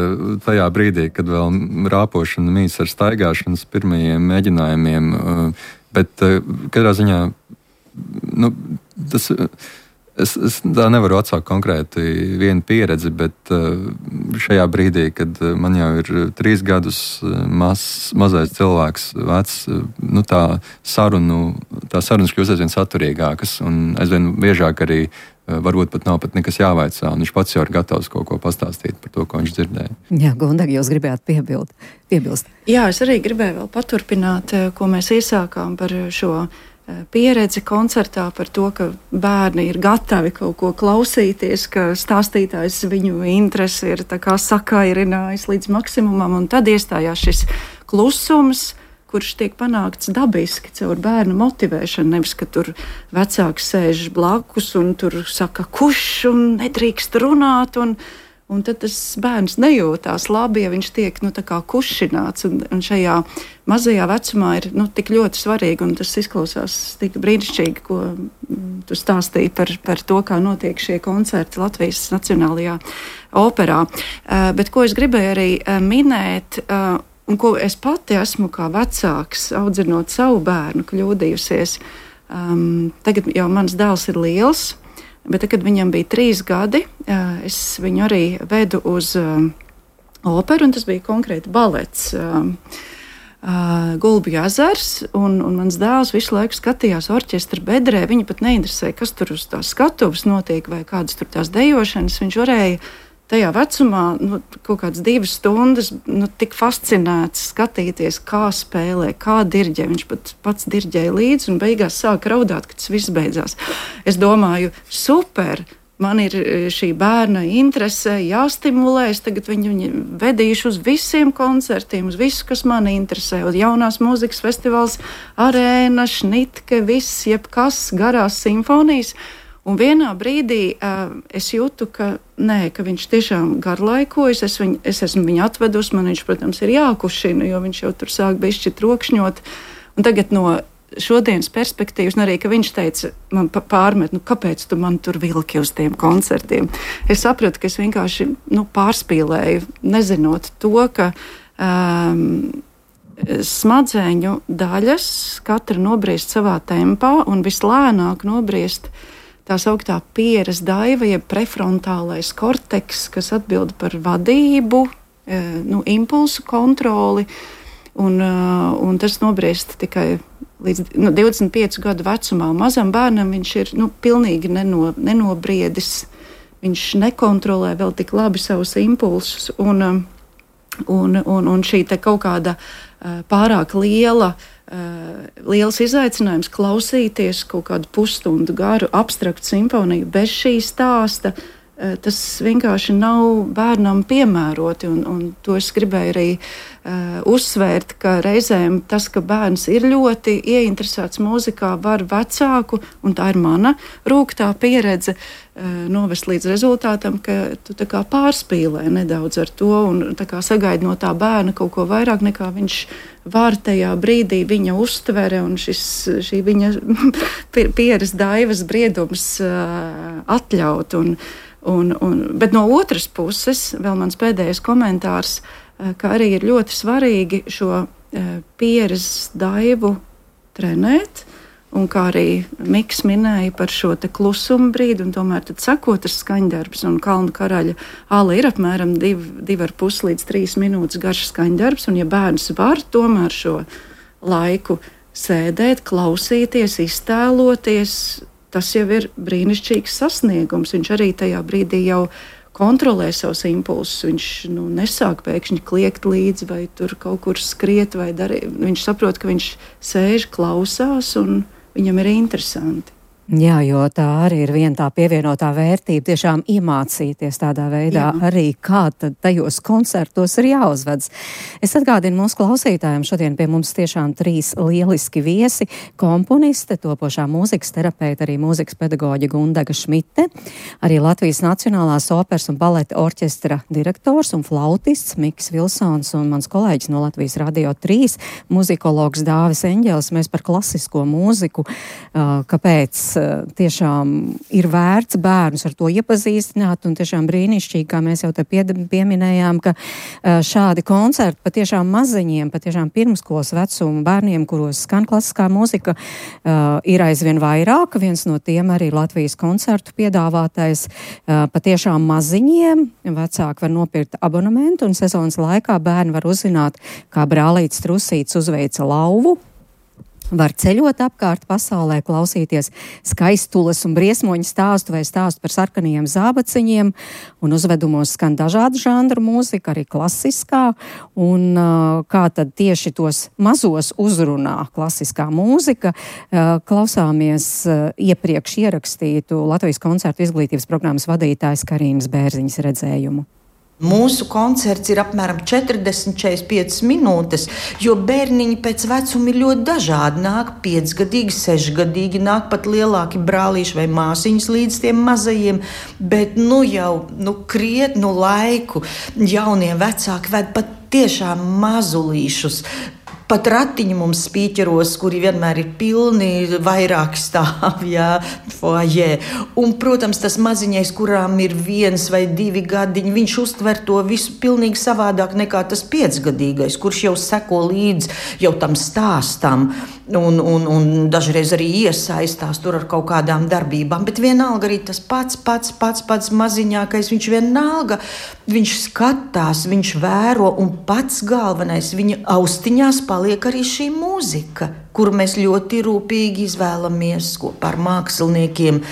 tajā brīdī, kad vēl rāpošana mīts ar staigāšanas pirmajiem mēģinājumiem, bet katrā ziņā, nu, tas, es, es tā nevaru atsākt konkrēti vienu pieredzi, bet šajā brīdī, kad man jau ir trīs gadus maz, mazais cilvēks vecs, nu, tā sarunu, tā sarunas kļūst aizvien saturīgākas un aizvien biežāk arī varbūt pat nav pat nekas jāvaicā, un viņš pats jau ir gatavs kaut ko pastāstīt par to, ko viņš dzirdēja. Jā, Gundega, jūs gribējāt piebild, piebilst. Jā, es arī gribēju vēl paturpināt, ko mēs iesākām par šo pieredzi koncertā, par to, ka bērni ir gatavi kaut ko klausīties, ka stāstītājs viņu interesi ir tā kā sakairinājis līdz maksimumam, un tad iestājās šis klusums, kurš tiek panākts dabiski caur bērnu motivēšanu, nevis, ka tur vecāks sēž blakus un tur saka kuš un nedrīkst runāt, un, un tad tas bērns nejūtās labi, ja viņš tiek, nu, tā kā kušināts, un, un šajā mazajā vecumā ir, nu, tik ļoti svarīgi, un tas izklausās tik brīnišķīgi, ko tu stāstīji par, par to, kā notiek šie koncerti Latvijas Nacionālajā operā. Uh, bet ko es gribēju arī uh, minēt, uh, un ko es pati esmu kā vecāks, audzinot savu bērnu, kļūdījusies. Um, tagad jau mans dēls ir liels, bet tad, kad viņam bija trīs gadi, uh, es viņu arī vedu uz uh, operu, un tas bija konkrēti balets. Uh, uh, Gulbju ezers, un, un mans dēls visu laiku skatījās orķestra bedrē. Viņa pat neinteresēja, kas tur uz tās skatuves notiek, vai kādas tur tās dejošanas. Viņš varēja tajā vecumā, nu, kaut kādas divas stundas, nu, tik fascinēts skatīties, kā spēlē, kā dirģē. Viņš pat pats dirģēja līdzi un beigās sāka raudāt, kad tas viss beidzās. Es domāju, super, man ir šī bērna interese jāstimulē, es tagad viņu, viņu vedīšu uz visiem koncertiem, uz visu, kas mani interesē, uz jaunās mūzikas festivāls, arēna, šnitke, viss, jebkas, garās simfonijas. Un vienā brīdī uh, es jūtu, ka, nē, ka viņš tiešām garlaikojas, es, viņu, es esmu viņu atvedus, man viņš, protams, ir jākušina, jo viņš jau tur sāk bišķi trokšņot. Un tagad no šodienas perspektīvas, un arī, ka viņš teica, man pārmet, nu, kāpēc tu man tur vilki uz tiem koncertiem? Es sapratu, ka es vienkārši, nu, pārspīlēju, nezinot to, ka um, smadzeņu daļas katra nobriest savā tempā un vislēnāk nobriest tā sauktā pieres daiva, jeb prefrontālais korteks, kas atbild par vadību, nu, impulsu kontroli, un, un tas nobriest tikai līdz nu, divdesmit piecu gadu vecumā. Mazam bērnam viņš ir, nu, pilnīgi neno, nenobriedis, viņš nekontrolē vēl tik labi savus impulsus, un, un, un, un šī te kaut kāda pārāk liela Uh, liels izaicinājums klausīties kaut kādu pusstundu garu abstraktu simfoniju bez šī stāsta, tas vienkārši nav bērnam piemēroti. Un, un to es gribēju arī uh, uzsvērt, ka reizēm tas, ka bērns ir ļoti ieinteresēts mūzikā, var vecāku, un tā ir mana rūgtā pieredze, uh, novest līdz rezultātam, ka tu tā kā pārspīlē nedaudz ar to un tā kā sagaidi no tā bērna kaut ko vairāk, nekā viņš var tajā brīdī viņa uztvere un šis, šī viņa pieres daivas briedums uh, atļaut. Un, Un, un, bet no otras puses, vēl mans pēdējais komentārs, ka arī ir ļoti svarīgi šo pieres daivu trenēt, un kā arī Miks minēja par šo te klusumu brīdi, un tomēr tad sakot ar skaņdarbs, un Kalnu karaļa ala ir apmēram div, divi ar pus līdz trīs minūtes garš skaņdarbs, un ja bērns var tomēr šo laiku sēdēt, klausīties, iztēloties, tas jau ir brīnišķīgs sasniegums. Viņš arī tajā brīdī jau kontrolē savus impulsus. Viņš nu, nesāk pēkšņi kliegt līdzi vai tur kaut kur skriet vai darīt. Viņš saprot, ka viņš sēž, klausās un viņam ir interesanti. Jā, jo tā arī ir viena tā pievienotā vērtība, tiešām iemācīties tādā veidā Jā. Arī, kā tad tajos koncertos ir jāuzvedas. Es atgādinu mūsu klausītājiem, šodien pie mums tiešām trīs lieliski viesi, komponiste, topošā mūzikas terapeita, arī mūzikas pedagoģa Gundaga Šmite, arī Latvijas Nacionālās operas un baleta orķestra direktors un flautists Miks Vilsons un mans kolēģis no Latvijas Radio trīs, muzikologs Dāvis Eņģelis. Mēs par klasisko mūziku, kāpēc tiešām ir vērts bērnus ar to iepazīstināt, un tiešām brīnišķīgi, kā mēs jau te pie, pieminējām, ka šādi koncerti patiešām maziņiem, patiešām pirmskolas vecuma bērniem, kuros skan klasiskā mūzika, ir aizvien vairāk. Viens no tiem arī Latvijas koncertu piedāvātais patiešām maziņiem. Vecāki var nopirkt abonementu, un sezonas laikā bērni var uzzināt, kā brālītis Trusīts uzveica lauvu. Var ceļot apkārt pasaulē, klausīties skaistules un briesmoņu stāstu vai stāstu par sarkanajiem zābaciņiem, un uzvedumos skan dažādu žanru mūzika, arī klasiskā, un uh, kā tad tieši tos mazos uzrunā klasiskā mūzika. Uh, klausāmies uh, iepriekš ierakstītu Latvijas koncertu izglītības programmas vadītājas Karīnas Bērziņas redzējumu. Mūsu koncerts ir apmēram četrdesmit līdz četrdesmit piecas minūtes, jo bērniņi pēc vecuma ir ļoti dažādi. Nāk piecgadīgi, sešgadīgi, nāk pat lielāki brālīši vai māsiņas līdz tiem mazajiem, bet nu jau nu, krietnu laiku jaunie vecāki ved pat tiešām mazulīšus. Pat ratiņi mums spīķeros, kuri vienmēr ir pilni, vairāk stāv, jā, foajē. Un, protams, tas maziņais, kurām ir viens vai divi gadiņi, viņš uztver to visu pilnīgi savādāk nekā tas piecgadīgais, kurš jau seko līdz jau tam stāstam un, un, un dažreiz arī iesaistās tur ar kaut kādām darbībām. Bet vienalga arī tas pats, pats, pats, pats maziņākais, viņš vienalga, viņš skatās, viņš vēro un pats galvenais viņa austiņās paliek arī šī mūzika, kuru mēs ļoti rūpīgi izvēlamies kopā ar māksliniekiem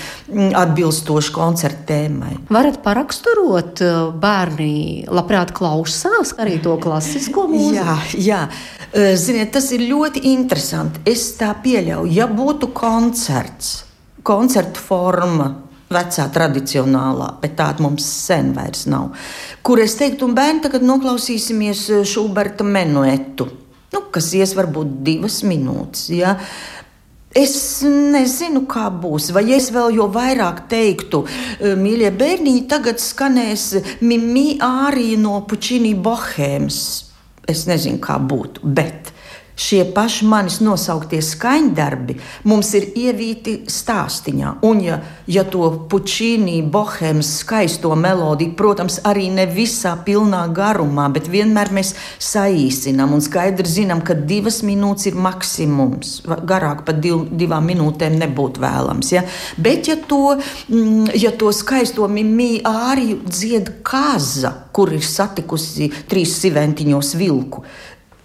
atbilstoši koncerta tēmai. Varat paraksturot, bērni labprāt klausās arī to klasisko mūziku? Jā, jā. Ziniet, tas ir ļoti interesanti. Es tā pieļauju, ja būtu koncerts, koncertu forma, vecā tradicionālā, bet tāda mums sen vairs nav, kur es teiktu, un bērni tagad noklausīsimies Šuberta menuetu, nu, kas ies varbūt divas minūtes, ja? Es nezinu, kā būs, vai es vēl jo vairāk teiktu, mīļie bērniņi, tagad skanēs Mimi ārija no Pučini Bohēmas. Es nezinu, kā būtu, bet šie paši manis nosauktie skaņdarbi mums ir ievīti stāstiņā. Un ja, ja to Pučini Bohēmas skaisto melodiju, protams, arī ne visā pilnā garumā, bet vienmēr mēs saīsinām un skaidri zinām, ka divas minūtes ir maksimums. Garāk pat div, divām minūtēm nebūtu vēlams. Ja? Bet ja to, ja to skaisto Mimi āriju dzied Kaza, kur ir satikusi trīs siventiņos vilku,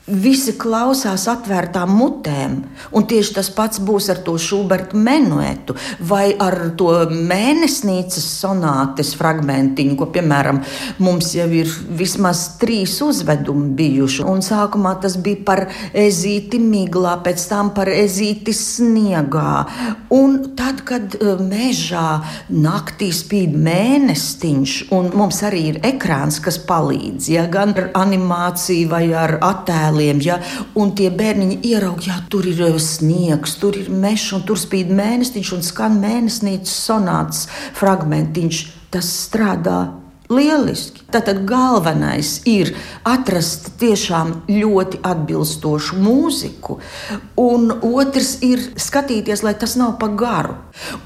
visi klausās atvērtām mutēm, un tieši tas pats būs ar to Šuberta menuetu vai ar to mēnesnīcas sonātes fragmentiņu, ko, piemēram, mums jau ir vismaz trīs uzvedumi bijuši. Un sākumā tas bija par ezīti miglā, pēc tam par ezīti sniegā. Un tad, kad mežā naktī spīd mēnestiņš, un mums arī ir ekrāns, kas palīdz, ja, gan ar animāciju vai ar attēlu, ja, un tie bērniņi ieraug, jā, tur ir sniegs, tur ir mežs, un tur spīd mēnestiņš un skan mēnesnīcas sonāts fragmentiņš. Tas strādā lieliski. Tātad galvenais ir atrast tiešām ļoti atbilstošu mūziku, un otrs ir skatīties, lai tas nav pa garu.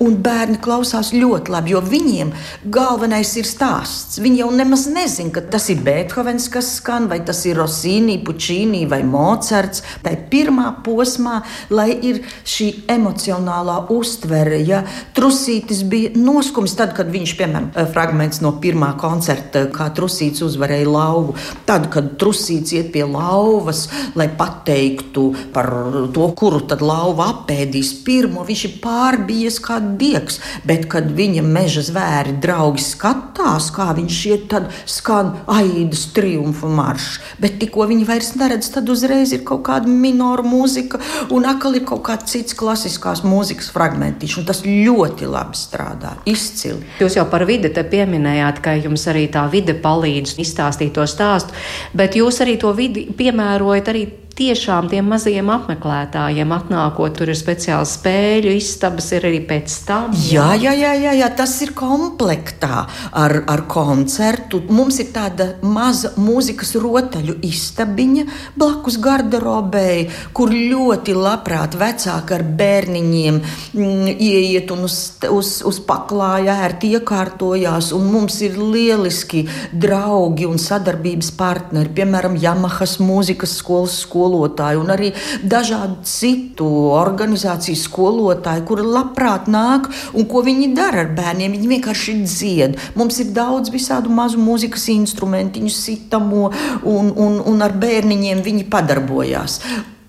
Un bērni klausās ļoti labi, jo viņiem galvenais ir stāsts. Viņi jau nemaz nezin, ka tas ir Beethovens, kas skan, vai tas ir Rossini, Puccini vai Mocarts. Tā ir pirmā posmā, lai ir šī emocionālā uztvere. Ja Trusītis bija noskums tad, kad viņš, piemēram, fragments no pirmā koncerta, kā Trusīts uzvarēja lauvu. Tad, kad Trusīts iet pie lauvas, lai pateiktu par to, kuru tad lauva apēdīs pirmo, viņš ir pārbijies kā diegs, bet kad viņa meža zvēri draugi skatās, kā viņš iet, tad skan Aidas triumfa maršs. Bet tikko viņi vairs neredz, tad uzreiz ir kaut kāda minoru mūzika un atkal ir kaut kāds cits klasiskās mūzikas fragmentiņš, un tas ļoti labi strādā, izcili. Jūs jau par vidi te pieminējāt, ka jums arī tā vide palīdz izstāstīt to stāstu, bet jūs arī to vidi piemērojat arī tiešām tiem mazajiem apmeklētājiem atnākot, tur ir speciāls spēļu istabas, ir arī pēc tam. Jā, jā, jā, jā, jā tas ir komplektā ar, ar koncertu. Mums ir tāda maza mūzikas rotaļu istabiņa blakus garderobei, kur ļoti labprāt vecāki ar bērniņiem mm, ieiet un uz, uz, uz paklāja ērti iekārtojās, un mums ir lieliski draugi un sadarbības partneri, piemēram, Jamahas mūzikas skolas skolotāji un arī dažādu citu organizāciju skolotāji, kuri labprāt nāk, un ko viņi dara ar bērniem, viņi vienkārši dzied. Mums ir daudz visādu mazu mūzikas instrumentiņu, sitamo, un, un, un ar bērniņiem viņi padarbojās.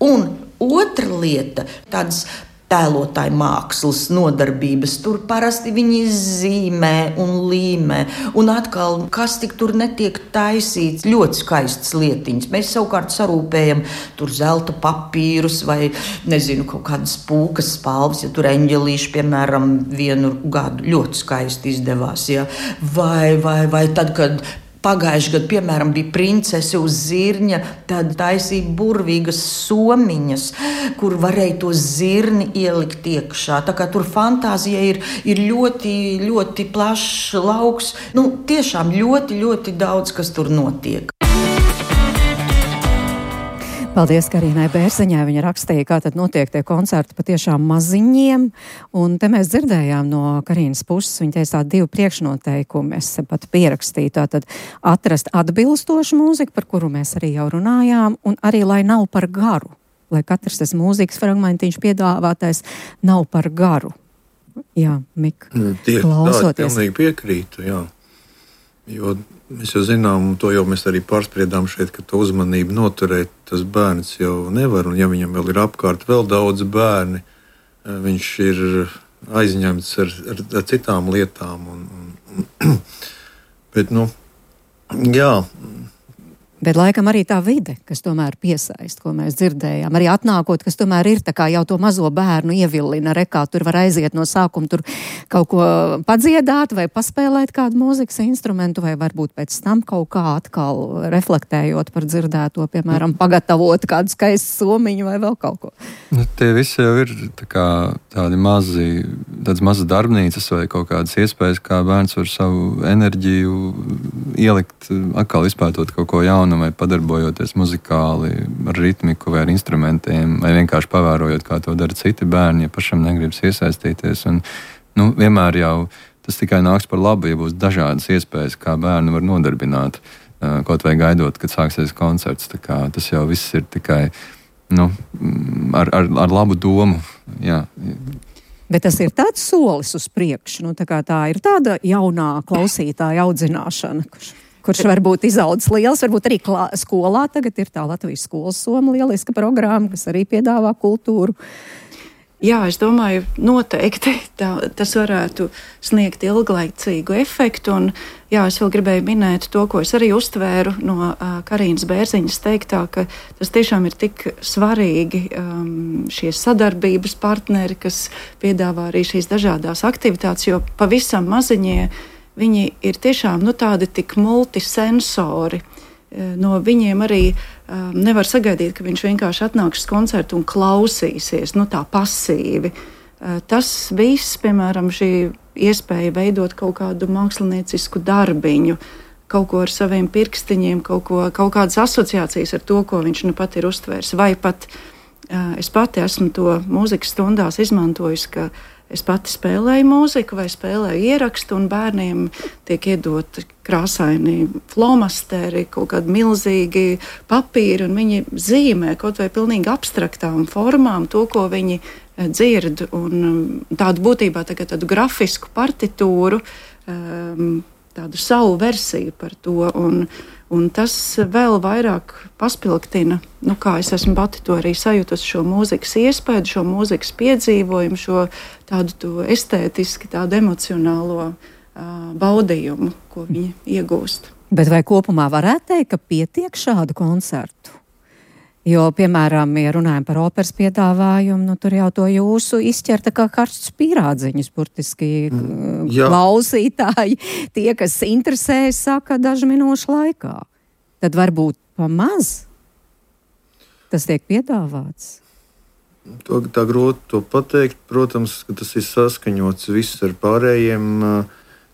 Un otra lieta, tādas tēlotāju mākslas nodarbības. Tur parasti viņi zīmē un līmē. Un atkal, kas tik tur netiek taisīts, ļoti skaistas lietiņas. Mēs savukārt sarūpējam tur zelta papīrus vai, nezinu, kaut kādas pūkas spalvas, ja tur eņģelīši, piemēram, vienu gadu ļoti skaisti izdevās. Ja? Vai, vai, vai tad, kad pagājuši gadu, piemēram, bija princese uz zirņa, tad taisīja burvīgas somiņas, kur varēja to zirni ielikt iekšā. Tā kā tur fantāzija ir, ir ļoti, ļoti plašs lauks. Nu, tiešām ļoti, ļoti daudz, kas tur notiek. Paldies Karīnai Bērziņai. Viņa rakstīja, kā tad notiek tie koncerti patiešām maziņiem. Un te mēs dzirdējām no Karīnas puses, viņa teica tādi divi priekšnoteikumi. Es pat pierakstīju tātad atrast atbilstošu mūziku, par kuru mēs arī jau runājām, un arī, lai nav par garu. Lai katrs tas mūzikas fragmentiņš piedāvātais nav par garu. Jā, Mika, Tie, klausoties. Tā, pilnīgi piekrītu, jā. Jo mēs jau zinām, un to jau mēs arī pārspriedām šeit, ka to uzmanību noturēt tas bērns jau nevar, un ja viņam vēl ir apkārt vēl daudz bērni, viņš ir aizņemts ar, ar, ar citām lietām. Un, un, bet, nu, jā. Bet laikam arī tā vide, kas tomēr piesaist, ko mēs dzirdējām, arī atnākot, kas tomēr ir tā kā jau to mazo bērnu ievillina, rekā tur var aiziet no sākuma, tur kaut ko padziedāt vai paspēlēt kādu mūzikas instrumentu, vai varbūt pēc tam kaut kā atkal reflektējot par dzirdēto, piemēram, pagatavot kādu skaistu somiņu vai vēl kaut ko. Nu, tie visi jau ir tā kā tādi mazi, tādas mazas darbnīcas vai kaut kādas iespējas, kā bērns var savu enerģiju ielikt, atkal izpētot kaut ko jaunu, vai padarbojoties muzikāli ar ritmiku vai ar instrumentiem, vai vienkārši pavērojot, kā to dara citi bērni, ja pašam negribas iesaistīties. Un, nu, vienmēr jau tas tikai nāks par labu, ja būs dažādas iespējas, kā bērnu var nodarbināt, kaut vai gaidot, kad sāksies koncerts. Tā kā tas jau viss ir tikai nu, ar, ar, ar labu domu. Jā. Bet tas ir tāds solis uz priekšu, nu, tā kā tā ir tāda jaunā klausītāja audzināšana, kurš kurš varbūt izaudzis liels, varbūt arī klā, skolā tagad ir tā Latvijas skolas soma lieliska programma, kas arī piedāvā kultūru. Jā, es domāju, noteikti tā, tas varētu sniegt ilglaicīgu efektu. Un, jā, es vēl gribēju minēt to, ko es arī uztvēru no uh, Karīnas Bērziņas teiktā, ka tas tiešām ir tik svarīgi um, šie sadarbības partneri, kas piedāvā arī šīs dažādās aktivitātes, jo pavisam maziņie viņi ir tiešām nu, tādi tik multisensori. No viņiem arī um, nevar sagaidīt, ka viņš vienkārši atnāks uz koncertu un klausīsies, nu tā pasīvi. Uh, tas viss, piemēram, šī iespēja veidot kaut kādu māksliniecisku darbiņu, kaut ko ar saviem pirkstiņiem, kaut, ko, kaut kādas asociācijas ar to, ko viņš nu pat ir uztvērs. Vai pat uh, es pati esmu to mūzikas stundās izmantojusi, ka es pati spēlēju mūziku vai spēlēju ierakstu, un bērniem tiek iedoti krāsaini flomasteri, kaut kādi milzīgi papīri, un viņi zīmē kaut vai pilnīgi abstraktām formām to, ko viņi dzird. Un tādu būtībā tagad tādu grafisku partitūru, tādu savu versiju par to. Un, un tas vēl vairāk paspilgtina, nu kā es esmu pati to arī sajūtas, šo mūzikas iespēju, šo mūzikas piedzīvojumu, šo tādu to estētiski, tādu emocionālo uh, baudījumu, ko viņi iegūst. Bet vai kopumā varētu teikt, ka pietiek šādu koncertu? Jo, piemēram, ja runājam par operas piedāvājumu, nu tur jau to jūsu izķerta kā karstus pīrādziņus, burtiski mm, klausītāji. Tie, kas interesējas, saka dažu minūšu laikā. Tad varbūt pamaz tas tiek piedāvāts. To, tā grūti to pateikt. Protams, ka tas ir saskaņots viss ar pārējiem,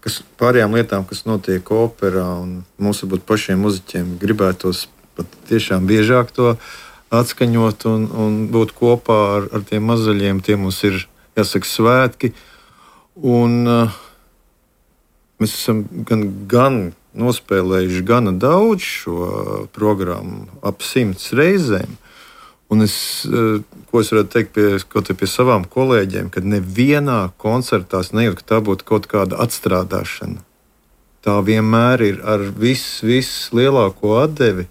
kas, pārējām lietām, kas notiek operā. Un mums varbūt pašiem muziķiem gribētos pat tiešām biežāk to atskaņot un, un būt kopā ar, ar tiem mazaļiem. Tie mums ir, jāsaka, svētki. Un uh, mēs esam gan, gan nospēlējuši gana daudz šo programmu, ap simts reizēm. Un es, uh, ko es varētu teikt pie, kaut pie savām kolēģiem, kad nevienā koncertā nejūt, ka tā būtu kaut kāda atstrādāšana. Tā vienmēr ir ar viss, viss lielāko atdevi.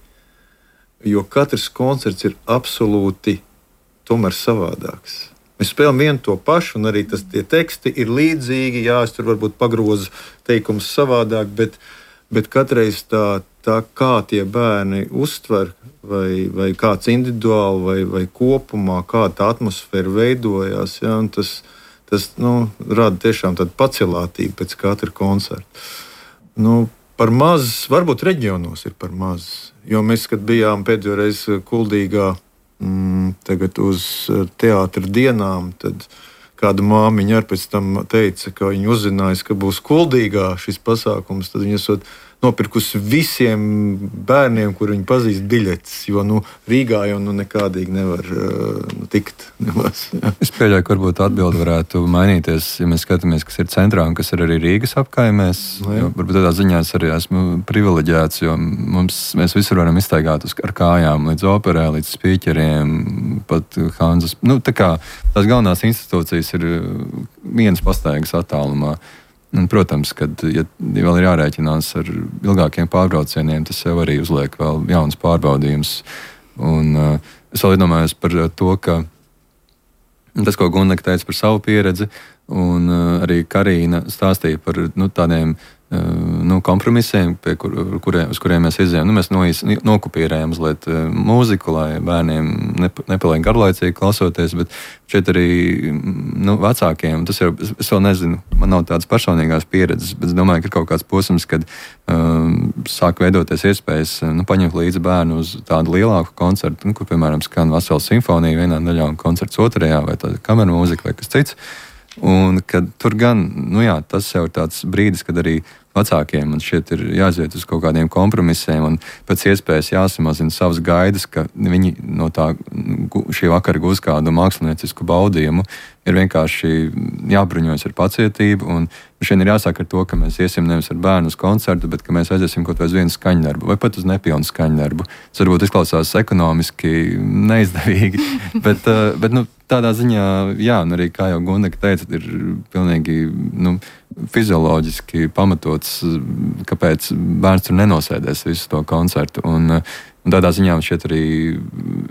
Jo katrs koncerts ir absolūti tomēr savādāks. Mēs spēlējam vienu to pašu, un arī tas, tie teksti ir līdzīgi. Jā, es tur varbūt pagrozu teikumus savādāk, bet, bet katreiz tā, tā, kā tie bērni uztver, vai, vai kāds individuāli, vai, vai kopumā, kā tā atmosfēra veidojās, jā, tas, tas nu, rada tiešām tādu pacelātību pēc katra koncerta. Nu, par maz, varbūt reģionos ir par maz. Jo mēs, kad bijām pēdējo reizi Kuldīgā, mm, tagad uz teātra dienām, tad kāda māmiņa arī pēc tam teica, ka viņa uzzinājusi, ka būs Kuldīgā šis pasākums, tad viņa esot nopirkusi visiem bērniem, kur viņi pazīst biļetes, jo nu, Rīgā jau nu, nekādīgi nevar uh, tikt. Nemaz, es pieļauju, ka varbūt atbildi varētu mainīties, ja mēs skatāmies, kas ir centrā un kas ir arī Rīgas apkaimēs. Jo, varbūt tādā ziņā es arī esmu privileģēts, jo mums, mēs visur varam iztaigāt uz, ar kājām līdz operē, līdz spīķeriem, pat Hanzas. Nu, tā kā tās galvenās institūcijas ir vienas pastaigas attālumā. Un, protams, kad ja vēl ir jārēķinās ar ilgākiem pārbraucieniem, tas jau arī uzliek vēl jauns pārbaudījums. Un, uh, es vēl iedomājos par to, ka tas, ko Gunda teica par savu pieredzi, un uh, arī Karīna stāstīja par nu, tādiem uh, nu, kompromisiem, pie kur, kuriem, uz kuriem mēs izējām. Nu, mēs noīs, nokupierējām mazliet uh, mūziku, lai bērniem nep, nepaliek garlaicīgi klausoties, bet šeit arī nu, vecākiem, tas jau, es vēl nezinu, man nav tādas personīgās pieredzes, bet es domāju, ka ir kaut kāds posms, kad um, sāk veidoties iespējas nu, paņemt līdzi bērnu uz tādu lielāku koncertu, nu, kur, piemēram, skan vesela simfonija vienā daļā un koncerts otrajā, vai tāda kameru mūzika vai kas cits. Un kad tur gan, nu jā, tas jau ir tāds brīdis, kad arī vecākiem man šķiet ir jāiziet uz kaut kādiem kompromisiem un pēc iespējas jāsamazina savas gaidas, ka viņi no tā šī vakara gūs kādu māksliniecisku baudījumu, ir vienkārši jābruņojas ar pacietību. Un šeit ir jāsāk ar to, ka mēs iesim nevis ar bērnu uz koncertu, bet ka mēs aiziesim kaut vai uz vienu skaņdarbu, vai pat uz nepilnu skaņdarbu. Tas varbūt izklausās ekonomiski neizdevīgi, bet, bet nu, tādā ziņā, jā, un arī, kā jau Gundega teica, ir pilnīgi nu, fizioloģiski pamatots, kāpēc bērns tur nenosēdēs visu to koncertu. Un, Un tādā ziņā šeit arī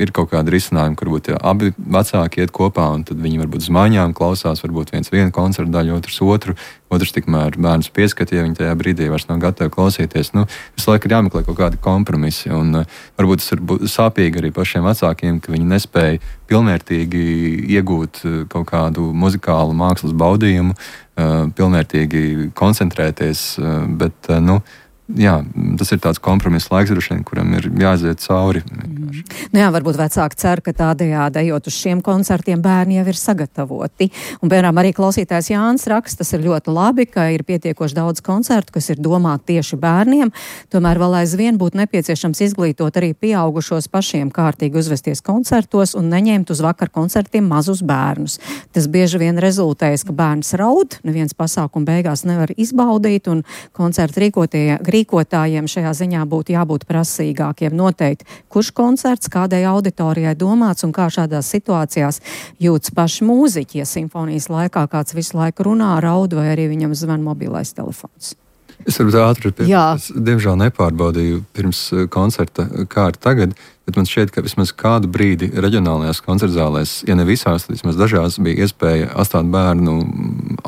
ir kaut kāda risinājuma, kur varbūt ja abi vecāki iet kopā, un tad viņi varbūt uz mājām klausās, varbūt viens vienu koncertu daļu, otrs otru, otrs tikmēr bērns pieskata, ja viņi tajā brīdī vairs nav gatavi klausīties. Nu, visu laiku ir jāmeklē kaut kādi kompromisi, un uh, varbūt tas ir sāpīgi arī pašiem vecākiem, ka viņi nespēja pilnvērtīgi iegūt kaut kādu muzikālu mākslas baudījumu, uh, pilnvērtīgi koncentrēties, uh, bet, uh, nu, jā, tas ir tāds kompromiss laiks, droši vien, kuram ir jāiziet cauri. Mm. Nu jā, varbūt vecāki cer, ka tādējādi ejot uz šiem koncertiem bērni jau ir sagatavoti. Un, piemēram, arī klausītājs Jānis raksta, tas ir ļoti labi, ka ir pietiekoši daudz koncertu, kas ir domāti tieši bērniem. Tomēr vēl aizvien būtu nepieciešams izglītot arī pieaugušos pašiem kārtīgi uzvesties koncertos un neņemt uz vakar koncertiem mazus bērnus. Tas bieži vien rezultējas, ka bērns raud, neviens pasākumu beigās nevar izbaudīt, un koncertu rīkotie rīkotājiem šajā ziņā būtu jābūt prasīgākiem noteikt, kurš koncerts kādai auditorijai domāts un kā šādās situācijās jūtas paši mūziķi, ja simfonijas laikā kāds visu laiku runā, raud vai arī viņam zvan mobilais telefons. Es varbūt ātri pie, es, diemžēl nepārbaudīju pirms koncerta, kā ir tagad, bet man šķiet, ka vismaz kādu brīdi reģionālajās koncertzālēs, ja ne visās, tad vismaz dažās bija iespēja atstāt bērnu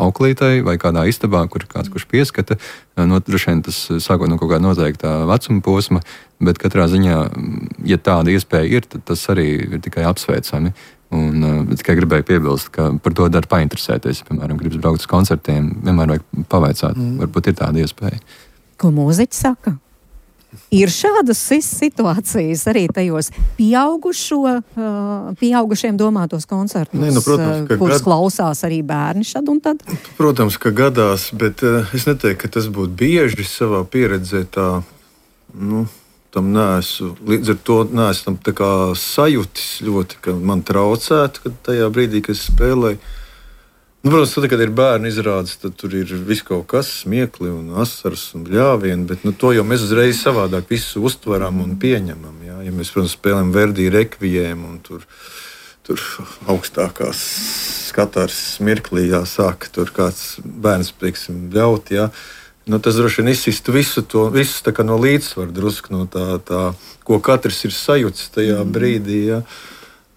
auklītei vai kādā istabā, kur kāds, kurš pieskata. No, droši vien tas sākot no kaut kāda noteiktā vecuma posma, bet katrā ziņā, ja tāda iespēja ir, tad tas arī ir tikai apsveicami. Un uh, tikai gribēju piebilst, ka par to dara painteresēties. Piemēram, gribas braukt uz koncertiem, vienmēr vajag pavaicāt, mm. varbūt ir tāda iespēja. Ko mūziķi saka? Ir šādas situācijas arī tajos pieaugušo, uh, pieaugušiem domātos koncertos, Nē, nu, protams, uh, kurus gad... klausās arī bērni šad un tad? Protams, ka gadās, bet uh, es neteiktu, ka tas būtu bieži savā pieredzē tā, nu, tam neesmu, līdz ar to neesmu tam tā kā sajūtis ļoti, ka man traucētu, kad tajā brīdī, kad es spēlēju. Nu, protams, tad, kad ir bērni izrādes, tad tur ir viss kaut kas, smiekli un asaras un bļāvieni, bet nu, to jau mēs uzreiz savādāk visu uztveram un pieņemam. Jā. Ja mēs, protams, spēlējam Verdi rekvijiem un tur, tur augstākās skatars smirklī jāsāk, tur kāds bērns, teiksim, bļaut, jā. Nu, tas droši vien izsistu visu to, visu tā kā no līdzsvaru drusku, no tā, tā, ko katrs ir sajūts tajā mm. brīdī, jā.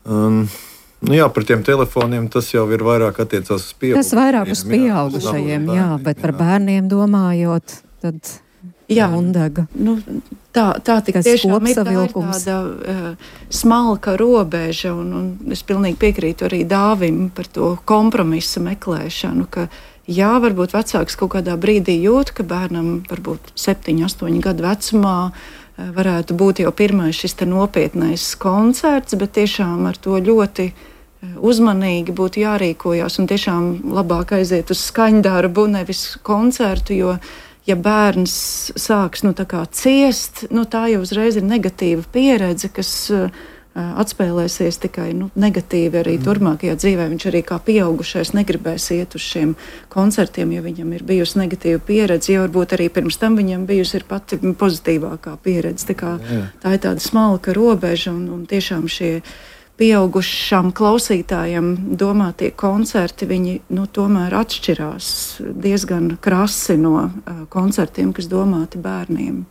Um, nu jā, par tiem telefoniem tas jau ir vairāk attiecās uz pieaugušajiem. Tas vairāk uz pieaugušajiem, jā, jā, bet par bērniem domājot, tad jā, Gundega. Nu, tā, tā tik tiešām ir, tā ir tāda uh, smalka robeža, un, un es pilnīgi piekrītu arī Dāvim par to kompromisa meklēšanu, ka jā, varbūt vecāks kaut kādā brīdī jūt, ka bērnam varbūt septiņu, astoņu gadu vecumā varētu būt jau pirmais šis te nopietnais koncerts, bet tiešām ar to ļoti uzmanīgi būtu jārīkojās un tiešām labāk aiziet uz skaņdarbu, nevis koncertu, jo ja bērns sāks nu, tā kā ciest, nu, tā jau uzreiz ir negatīva pieredze, kas atspēlēsies tikai nu, negatīvi arī mm. turpmākajā dzīvē. Viņš arī kā pieaugušais negribēs iet uz šiem koncertiem, ja viņam ir bijusi negatīva pieredze, jo varbūt arī pirms tam viņam bijusi ir pati pozitīvākā pieredze. Tā, kā, tā ir tāda smalka robeža un, un tiešām šie pieaugušām klausītājiem domātie koncerti, viņi nu, tomēr atšķirās diezgan krasi no uh, koncertiem, kas domāti bērniem.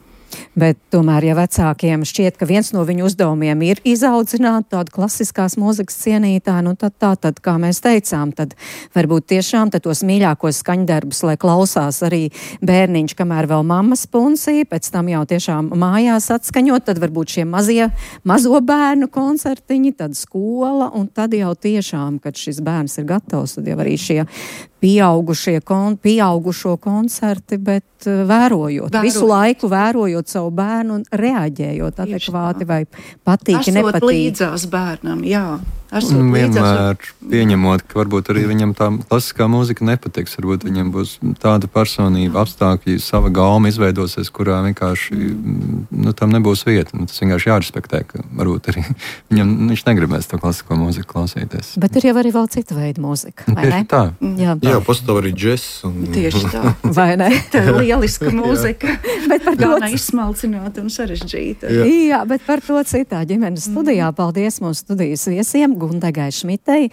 Bet tomēr, ja vecākiem šķiet, ka viens no viņu uzdevumiem ir izaudzināt tādu klasiskās mūzikas cienītāju, nu tad tā, tad, kā mēs teicām, tad varbūt tiešām tad tos mīļākos skaņdarbus, lai klausās arī bērniņš, kamēr vēl mammas punsī, pēc tam jau tiešām mājās atskaņot, tad varbūt šie mazie, mazo bērnu koncertiņi, tad skola, un tad jau tiešām, kad šis bērns ir gatavs, tad jau arī šie pieaugušie, kon, pieaugušo koncerti, bet uh, vērojot, vērojot, visu laiku vērojot savu bērnu un reaģējot adekvāti vai patīki, Esot nepatīk. Līdzās bērnam, jā. esot vienmēr pieņemot, ka varbūt arī viņam tā klasiskā mūzika nepatiks. Varbūt viņam būs tāda personība, apstākļi, sava gauma izveidosies, kurā vienkārši nu, tam nebūs vieta. Nu, tas vienkārši jārespektē, ka varbūt arī viņam viņš negribēs to klasisko mūziku klausīties. Bet ir jau arī vēl cita veida mūzika, vai Tieši ne? tā. Jā, Jā, pastāv arī džess. Un... Tieši tā. vai ne? Tā ir lieliska mūzika. Bet par to Gan izsmalcināta un sarežģīta. Jā. Jā, bet par to citā ģimenes studijā. Paldies mūsu studijas viesiem Gundegai Šmitei,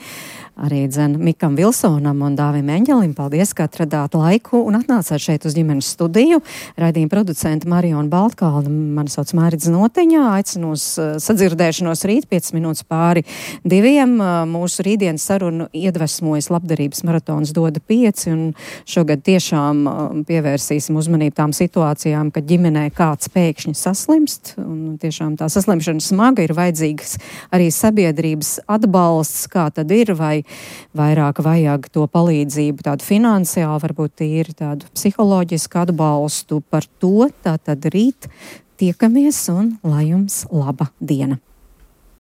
arī dzen Mikam Vilsonam un Dāvim Eņģelim. Paldies, ka atradāt laiku un atnācāt šeit uz ģimenes studiju. Raidījuma producenta Mariona Baltkalna, mani sauc Mārita Notiņā, aicinu uz sadzirdēšanos rīt piecas minūtes pāri diviem. Mūsu rītdienas sarunu iedvesmojas labdarības maratons Doda pieci, un šogad tiešām pievērsīsim uzmanību tām situācijām, kad ģimenē kāds pēkšņi saslimst, un tiešām tā saslimšana smaga, ir vajadzīgs arī sabiedrības atbalsts, kā tad ir, vai vairāk vajag to palīdzību, tādu finansiālu, varbūt tīri tādu psiholoģisku atbalstu. Par to tātad rīt tiekamies, un lai jums laba diena!